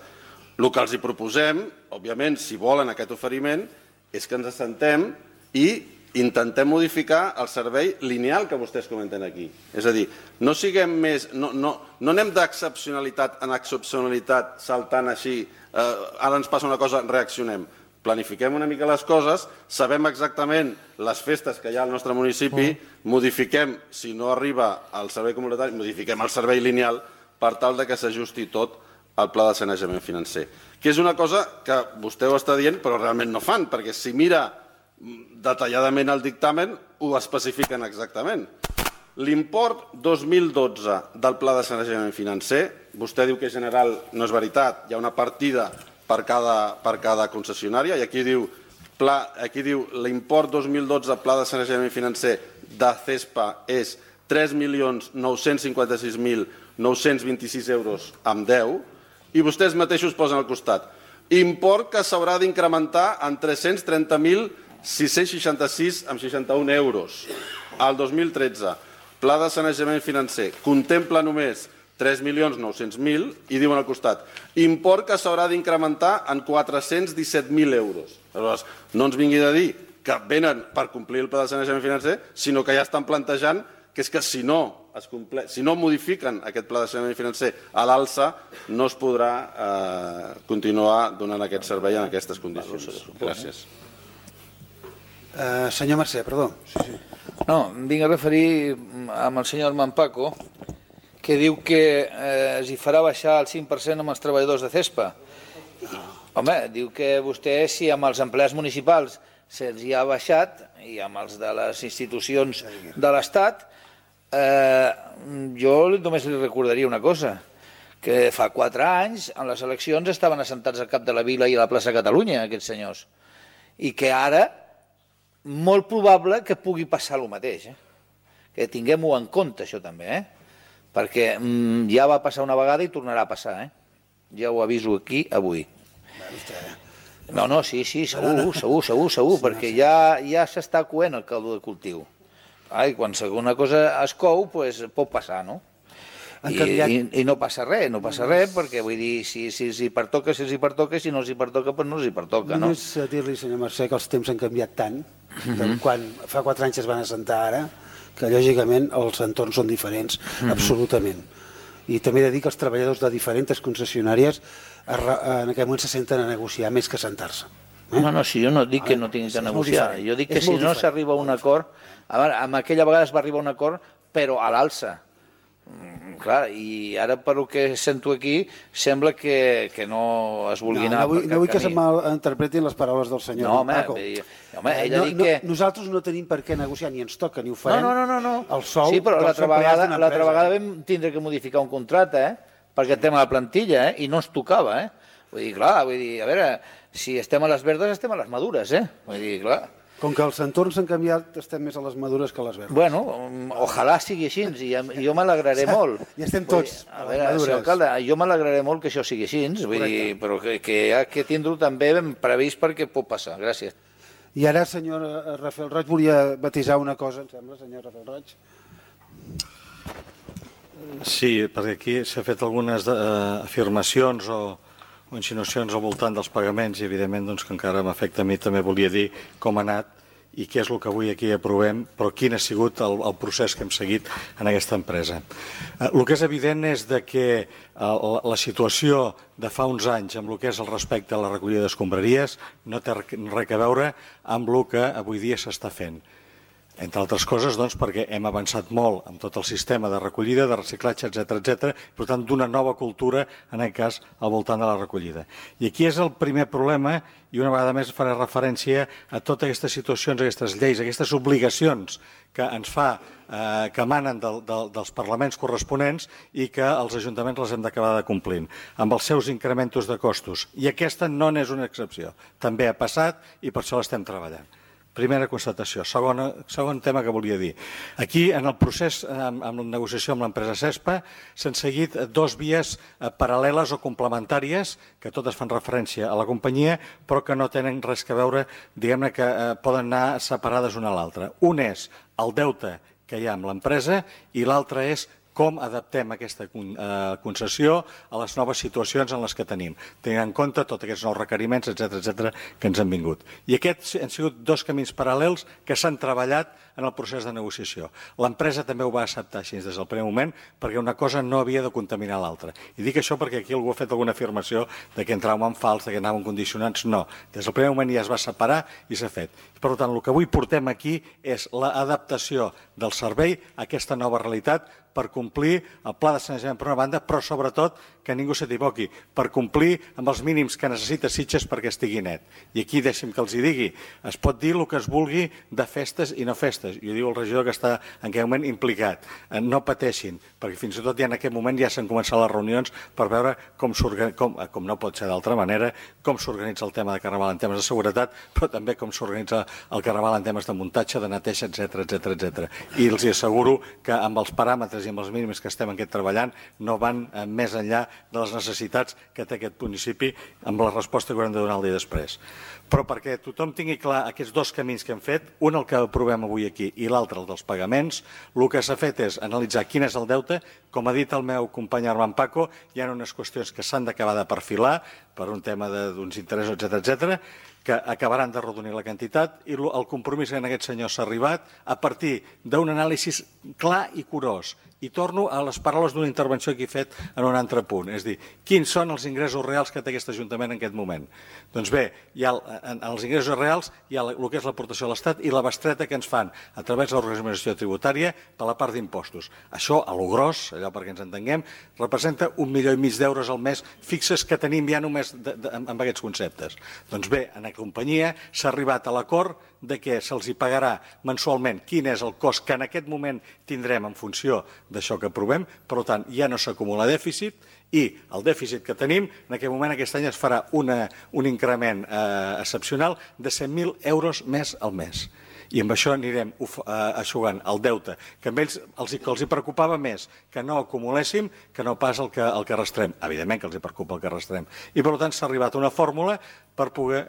el que els hi proposem, òbviament, si volen aquest oferiment, és que ens assentem i intentem modificar el servei lineal que vostès comenten aquí. És a dir, no siguem més, no anem d'excepcionalitat en excepcionalitat saltant així, ara ens passa una cosa, reaccionem. Planifiquem una mica les coses, sabem exactament les festes que hi ha al nostre municipi, modifiquem, si no arriba al servei comunitari, modifiquem el servei lineal per tal que s'ajusti tot al pla de sanejament financer. Que és una cosa que vostè ho està dient però realment no fan, perquè si mira detalladament el dictamen ho especifiquen exactament. L'import 2012 del pla de sanejament financer, vostè diu que en general no és veritat, hi ha una partida per cada concessionària i aquí diu l'import 2012 pla de sanejament financer de CESPA és 3.956.926 euros amb 10 i vostès mateixos posen al costat import que s'haurà d'incrementar en 330.666 amb 61 euros. Al 2013, pla de sanejament financer contempla només 3.900.000 i diuen al costat import que s'haurà d'incrementar en 417.000 euros. Aleshores, no ens vingui de dir que venen per complir el pla de sanejament financer, sinó que ja estan plantejant que és que si no modifiquen aquest pla de sanejament financer a l'alça, no es podrà continuar donant aquest servei en aquestes condicions. Gràcies. Senyor Mercè, perdó. No, em vinc a referir amb el senyor Manpaco, que diu que es farà baixar el 5% amb els treballadors de CESPA. Home, diu que vostè, si amb els empleats municipals se'ls hi ha baixat, i amb els de les institucions de l'Estat, jo només li recordaria una cosa, que fa 4 anys, en les eleccions, estaven assentats al cap de la Vila i a la plaça Catalunya, aquests senyors, i que ara, molt probable que pugui passar el mateix. Que tinguem-ho en compte, això també, perquè ja va passar una vegada i tornarà a passar. Ja ho aviso aquí avui. No, sí, segur, perquè ja s'està coent el caldo de cultiu. I quan una cosa es cou, pot passar, no? I no passa res, perquè vull dir, si els hi pertoca, si no els hi pertoca, no els hi pertoca, no? Només dir-li, senyor Mercè, que els temps han canviat tant, quan fa 4 anys es van assentar ara, que lògicament els entorns són diferents, absolutament. I també he de dir que els treballadors de diferents concessionàries en aquest moment se senten a negociar més que a sentar-se. No, si jo no dic que no tinguin que negociar, jo dic que si no s'arriba a un acord, en aquella vegada es va arribar a un acord però a l'alça. Clar, i ara per el que sento aquí sembla que no es vulgui anar per cap camí. No vull que se malinterpretin les paraules del senyor Paco. Ell ha dit que... Nosaltres no tenim per què negociar, ni ens toca, ni ho farem. No. El sou sí, però l'altra vegada vegada vam tindre que modificar un contracte, perquè el tema de la plantilla, i no ens tocava, Vull dir, clar, a veure, si estem a les verdes, estem a les madures, Vull dir, clar... Com que els entorns han canviat, estem més a les madures que a les verdes. Bueno, ojalà sigui així, i jo m'alegraré molt. I estem tots a veure, senyor alcalde, jo m'alegraré molt que això sigui així, vull dir, però que hi ha que tindre-ho també ben previst perquè pot passar. Gràcies. I ara, senyor Rafael Roig, volia batejar una cosa, em sembla, senyor Rafael Roig. Sí, perquè aquí s'ha fet algunes afirmacions o insinuacions al voltant dels pagaments i evidentment doncs, que encara m'afecta a mi, també volia dir com ha anat i què és el que avui aquí aprovem, però quin ha sigut el procés que hem seguit en aquesta empresa. El que és evident és que la situació de fa uns anys amb el que és el respecte a la recollida d'escombraries no té res a veure amb el que avui dia s'està fent. Entre altres coses, doncs, perquè hem avançat molt amb tot el sistema de recollida, de reciclatge, etc. Per tant, d'una nova cultura, en aquest cas, al voltant de la recollida. I aquí és el primer problema, i una vegada més faré referència a totes aquestes situacions, aquestes lleis, aquestes obligacions que ens fa, que emanen dels parlaments corresponents i que els ajuntaments les hem d'acabar de complint, amb els seus incrementos de costos. I aquesta no n'és una excepció. També ha passat i per això l'estem treballant. Primera constatació. Segon tema que volia dir. Aquí, en el procés, amb la negociació amb l'empresa CESPA, s'han seguit dos vies paral·leles o complementàries, que totes fan referència a la companyia, però que no tenen res a veure, diguem-ne que poden anar separades una a l'altra. Un és el deute que hi ha amb l'empresa i l'altre és com adaptem aquesta concessió a les noves situacions en les que tenim, tenint en compte tots aquests nous requeriments, etc., que ens han vingut. I aquests han sigut dos camins paral·lels que s'han treballat en el procés de negociació. L'empresa també ho va acceptar així des del primer moment, perquè una cosa no havia de contaminar l'altra. I dic això perquè aquí algú ha fet alguna afirmació de que entràvem en fals, de que anàvem condicionats. No, des del primer moment ja es va separar i s'ha fet. Per tant, el que avui portem aquí és l'adaptació del servei a aquesta nova realitat per complir el pla de sanejament per una banda, però sobretot, que ningú s'equivoqui, per complir amb els mínims que necessita Sitges perquè estigui net. I aquí deixi'm que els hi digui, es pot dir el que es vulgui de festes i no festes. Jo diu el regidor que està en aquest moment implicat. No pateixin, perquè fins i tot ja en aquest moment ja s'han començat les reunions per veure com no pot ser d'altra manera, com s'organitza el tema de Carnaval en temes de seguretat, però també com s'organitza el Carnaval en temes de muntatge, de neteja, etc. I els asseguro que amb els paràmetres i amb els mínims que estem aquest treballant no van més enllà de les necessitats que té aquest municipi amb la resposta que haurem de donar el dia després. Però perquè tothom tingui clar aquests dos camins que hem fet, un el que aprovem avui aquí i l'altre el dels pagaments, el que s'ha fet és analitzar quin és el deute. Com ha dit el meu company Armand Paco, hi ha unes qüestions que s'han d'acabar de perfilar per un tema d'uns interessos, etc., que acabaran de redonir la quantitat, i el compromís que en aquest senyor s'ha arribat a partir d'un anàlisi clar i curós. I torno a les paraules d'una intervenció que he fet en un altre punt, és dir, quins són els ingressos reals que té aquest Ajuntament en aquest moment? Doncs bé, hi ha els ingressos reals, hi ha el que és l'aportació a l'Estat i la bestreta que ens fan a través de l'organització tributària per la part d'impostos. Això, a lo gros, allò perquè ens entenguem, representa 1,5 milió d'euros al mes fixes que tenim ja només amb aquests conceptes. Doncs bé, en la companyia s'ha arribat a l'acord de que se'ls hi pagarà mensualment quin és el cost que en aquest moment tindrem en funció d'això que aprovem. Per tant, ja no s'acumula dèficit i el dèficit que tenim, en aquest moment aquest any es farà un increment excepcional de 100.000 euros més al mes. I amb això anirem aixugant el deute, que a ells els hi preocupava més que no acumuléssim que no pas el que arrastrem. Evidentment que els hi preocupa el que arrastrem. I per tant s'ha arribat a una fórmula per poder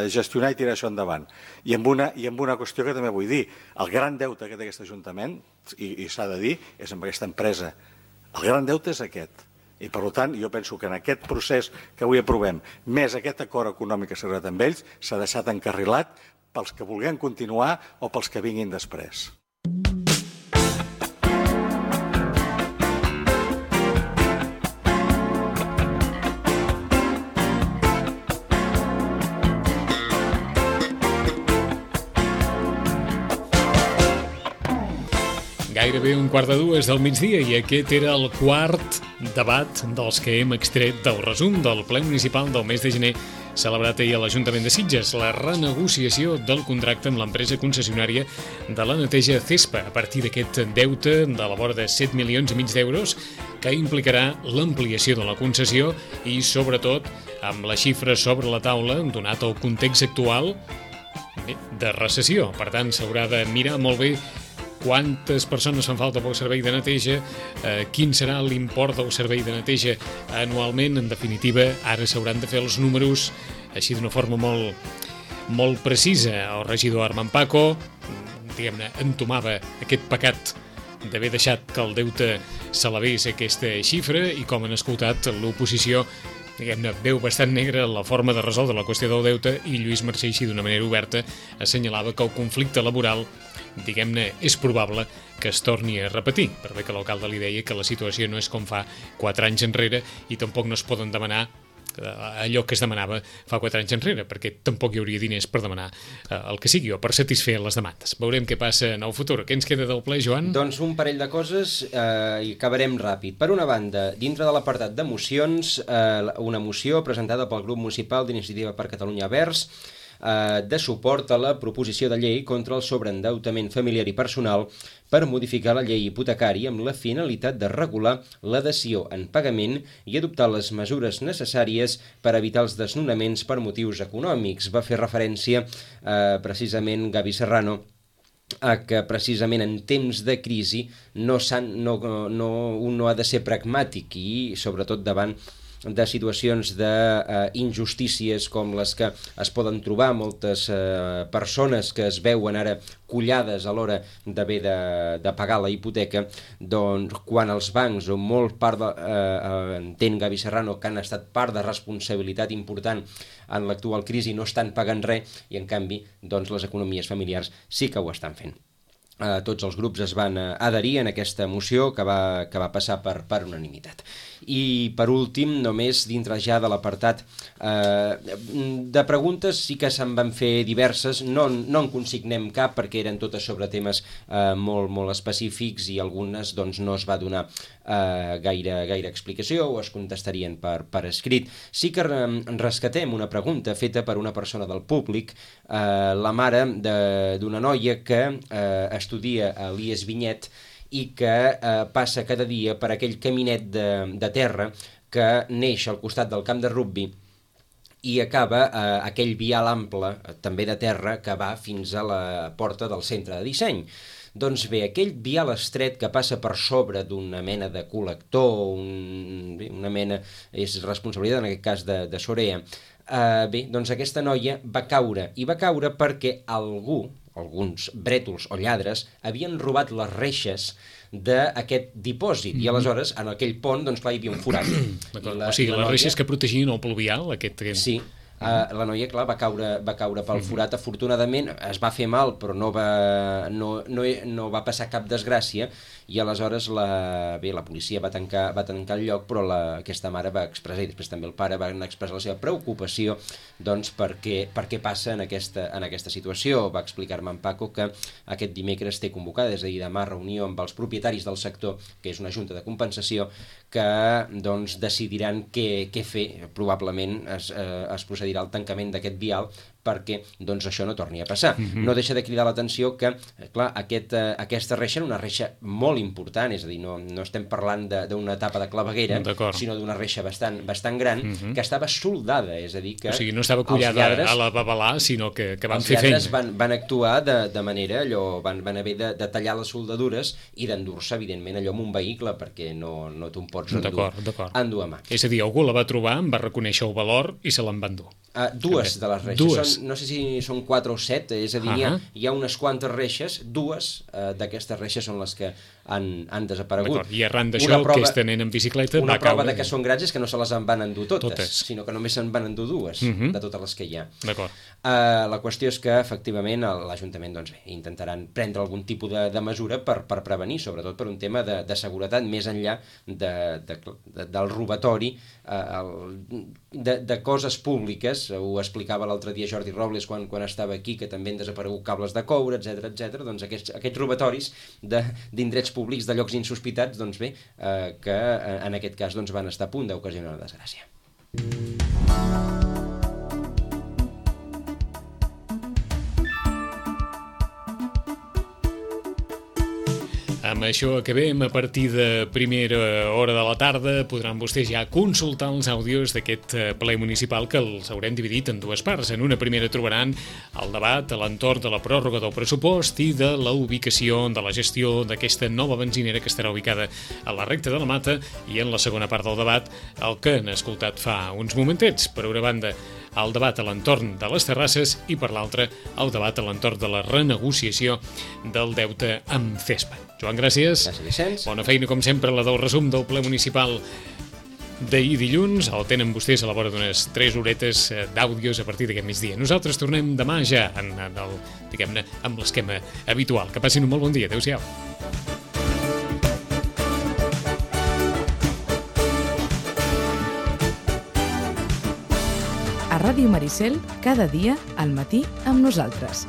gestionar i tirar això endavant. I amb una qüestió que també vull dir, el gran deute que té aquest Ajuntament, i s'ha de dir, és amb aquesta empresa. El gran deute és aquest. I per tant, jo penso que en aquest procés que avui aprovem, més aquest acord econòmic que s'ha arribat amb ells, s'ha deixat encarrilat pels que vulguem continuar o pels que vinguin després. Gairebé 1:15 del migdia i aquest era el quart debat dels que hem extret del resum del ple municipal del mes de gener celebrat ahir a l'Ajuntament de Sitges, la renegociació del contracte amb l'empresa concessionària de la neteja CESPA a partir d'aquest deute de la vora de 7,5 milions d'euros que implicarà l'ampliació de la concessió i, sobretot, amb la xifra sobre la taula, donat el context actual de recessió. Per tant, s'haurà de mirar molt bé quantes persones fan falta pel servei de neteja, quin serà l'import del servei de neteja anualment. En definitiva, ara s'hauran de fer els números així d'una forma molt precisa. El regidor Armand Paco, diguem-ne, entomava aquest pecat d'haver deixat que el deute s'elevés a aquesta xifra i, com han escoltat, l'oposició diguem-ne, veu bastant negra la forma de resoldre la qüestió del deute i Lluís Mercè, així d'una manera oberta, assenyalava que el conflicte laboral, diguem-ne, és probable que es torni a repetir, per bé que l'alcalde li deia que la situació no és com fa 4 anys enrere i tampoc no es poden demanar allò que es demanava fa 4 anys enrere, perquè tampoc hi hauria diners per demanar el que sigui o per satisfer les demandes. Veurem què passa en el futur. Què ens queda del ple, Joan? Doncs un parell de coses i acabarem ràpid. Per una banda, dintre de l'apartat de mocions, una moció presentada pel grup municipal d'Iniciativa per Catalunya Verds de suport a la proposició de llei contra el sobreendeutament familiar i personal per modificar la llei hipotecària amb la finalitat de regular la dació en pagament i adoptar les mesures necessàries per evitar els desnonaments per motius econòmics. Va fer referència precisament Gavi Serrano a que precisament en temps de crisi un no ha de ser pragmàtic i sobretot davant de situacions d'injustícies com les que es poden trobar moltes persones que es veuen ara collades a l'hora d'haver de pagar la hipoteca, doncs quan els bancs, o molt part entén Gavi Serrano, que han estat part de responsabilitat important en l'actual crisi, no estan pagant res i en canvi doncs les economies familiars sí que ho estan fent. Tots els grups es van adherir en aquesta moció que va passar per unanimitat. I per últim, només dintre ja de l'apartat de preguntes sí que se'n van fer diverses, no en consignem cap perquè eren totes sobre temes molt específics i algunes doncs no es va donar gaire explicació o es contestarien per escrit. Sí que rescatem una pregunta feta per una persona del públic, la mare d'una noia que estudia a l'IES Vinyet i que passa cada dia per aquell caminet de terra que neix al costat del camp de rugbi i acaba aquell vial ample, també de terra, que va fins a la porta del centre de disseny. Doncs bé, aquell vial estret que passa per sobre d'una mena de col·lector, una mena, és responsabilitat en aquest cas de Sorea, bé, doncs aquesta noia va caure, i va caure perquè alguns brètols o lladres havien robat les reixes d'aquest dipòsit i aleshores en aquell pont doncs clar hi havia un forat. O sigui, les reixes que protegien el pluvial, aquest... Sí, la noia, clar, va caure pel forat. Afortunadament es va fer mal, però no va passar cap desgràcia i aleshores la policia va tancar el lloc, però aquesta mare va expressar, i després també el pare van expressar la seva preocupació doncs per què passa en aquesta situació. Va explicar-me en Paco que aquest dimecres té convocada, és a dir, demà, reunió amb els propietaris del sector, que és una junta de compensació, que doncs decidiran què fer. Probablement es procedirà al tancament d'aquest vial perquè doncs, això no torni a passar. No deixa de cridar l'atenció que, clar, aquesta reixa era una reixa molt important, és a dir, no estem parlant d'una tapa de claveguera, sinó d'una reixa bastant gran, que estava soldada, és a dir que... O sigui, no estava collada a la babalà, sinó que van fer feina. Els lladres van actuar de manera, van haver de tallar les soldadures i d'endur-se, evidentment, allò amb un vehicle, perquè no te'n pots endur a mà. És a dir, algú la va trobar, en va reconèixer el valor i se l'en va endur. Dues de les reixes, no sé si són 4 o 7, és a dir, hi ha unes quantes reixes, dues d'aquestes reixes són les que han desaparegut. I arran d'això, aquesta nena en bicicleta una va caure. prova de que són grans és que no se les en van endur totes. Sinó que només se'n van endur dues de totes les que hi ha. D'acord. La qüestió és que, efectivament, l'Ajuntament intentaran prendre algun tipus de mesura per prevenir, sobretot per un tema de seguretat, més enllà del robatori de coses públiques. Ho explicava l'altre dia Jordi Robles quan estava aquí, que també han desaparegut cables de coure, etc. Doncs aquests robatoris d'indrets públics, de llocs insospitats, doncs bé, que en aquest cas van estar a punt d'ocasionar una desgràcia. Amb això acabem. A partir de primera hora de la tarda podran vostès ja consultar els àudios d'aquest ple municipal, que els haurem dividit en dues parts. En una primera trobaran el debat a l'entorn de la pròrroga del pressupost i de la ubicació de la gestió d'aquesta nova benzinera que estarà ubicada a la recta de la Mata, i en la segona part del debat el que han escoltat fa uns momentets. Per una banda, el debat a l'entorn de les terrasses i per l'altra el debat a l'entorn de la renegociació del deute amb CESPA. Joan, gràcies. Gràcies, Vicenç. Bona feina, com sempre, la del resum del ple municipal d'ahir dilluns. El tenen vostès a la vora d'unes 3 horetes d'àudios a partir d'aquest migdia. Nosaltres tornem demà ja amb l'esquema habitual. Que passin un molt bon dia. Adéu-siau. A Ràdio Maricel, cada dia al matí amb nosaltres.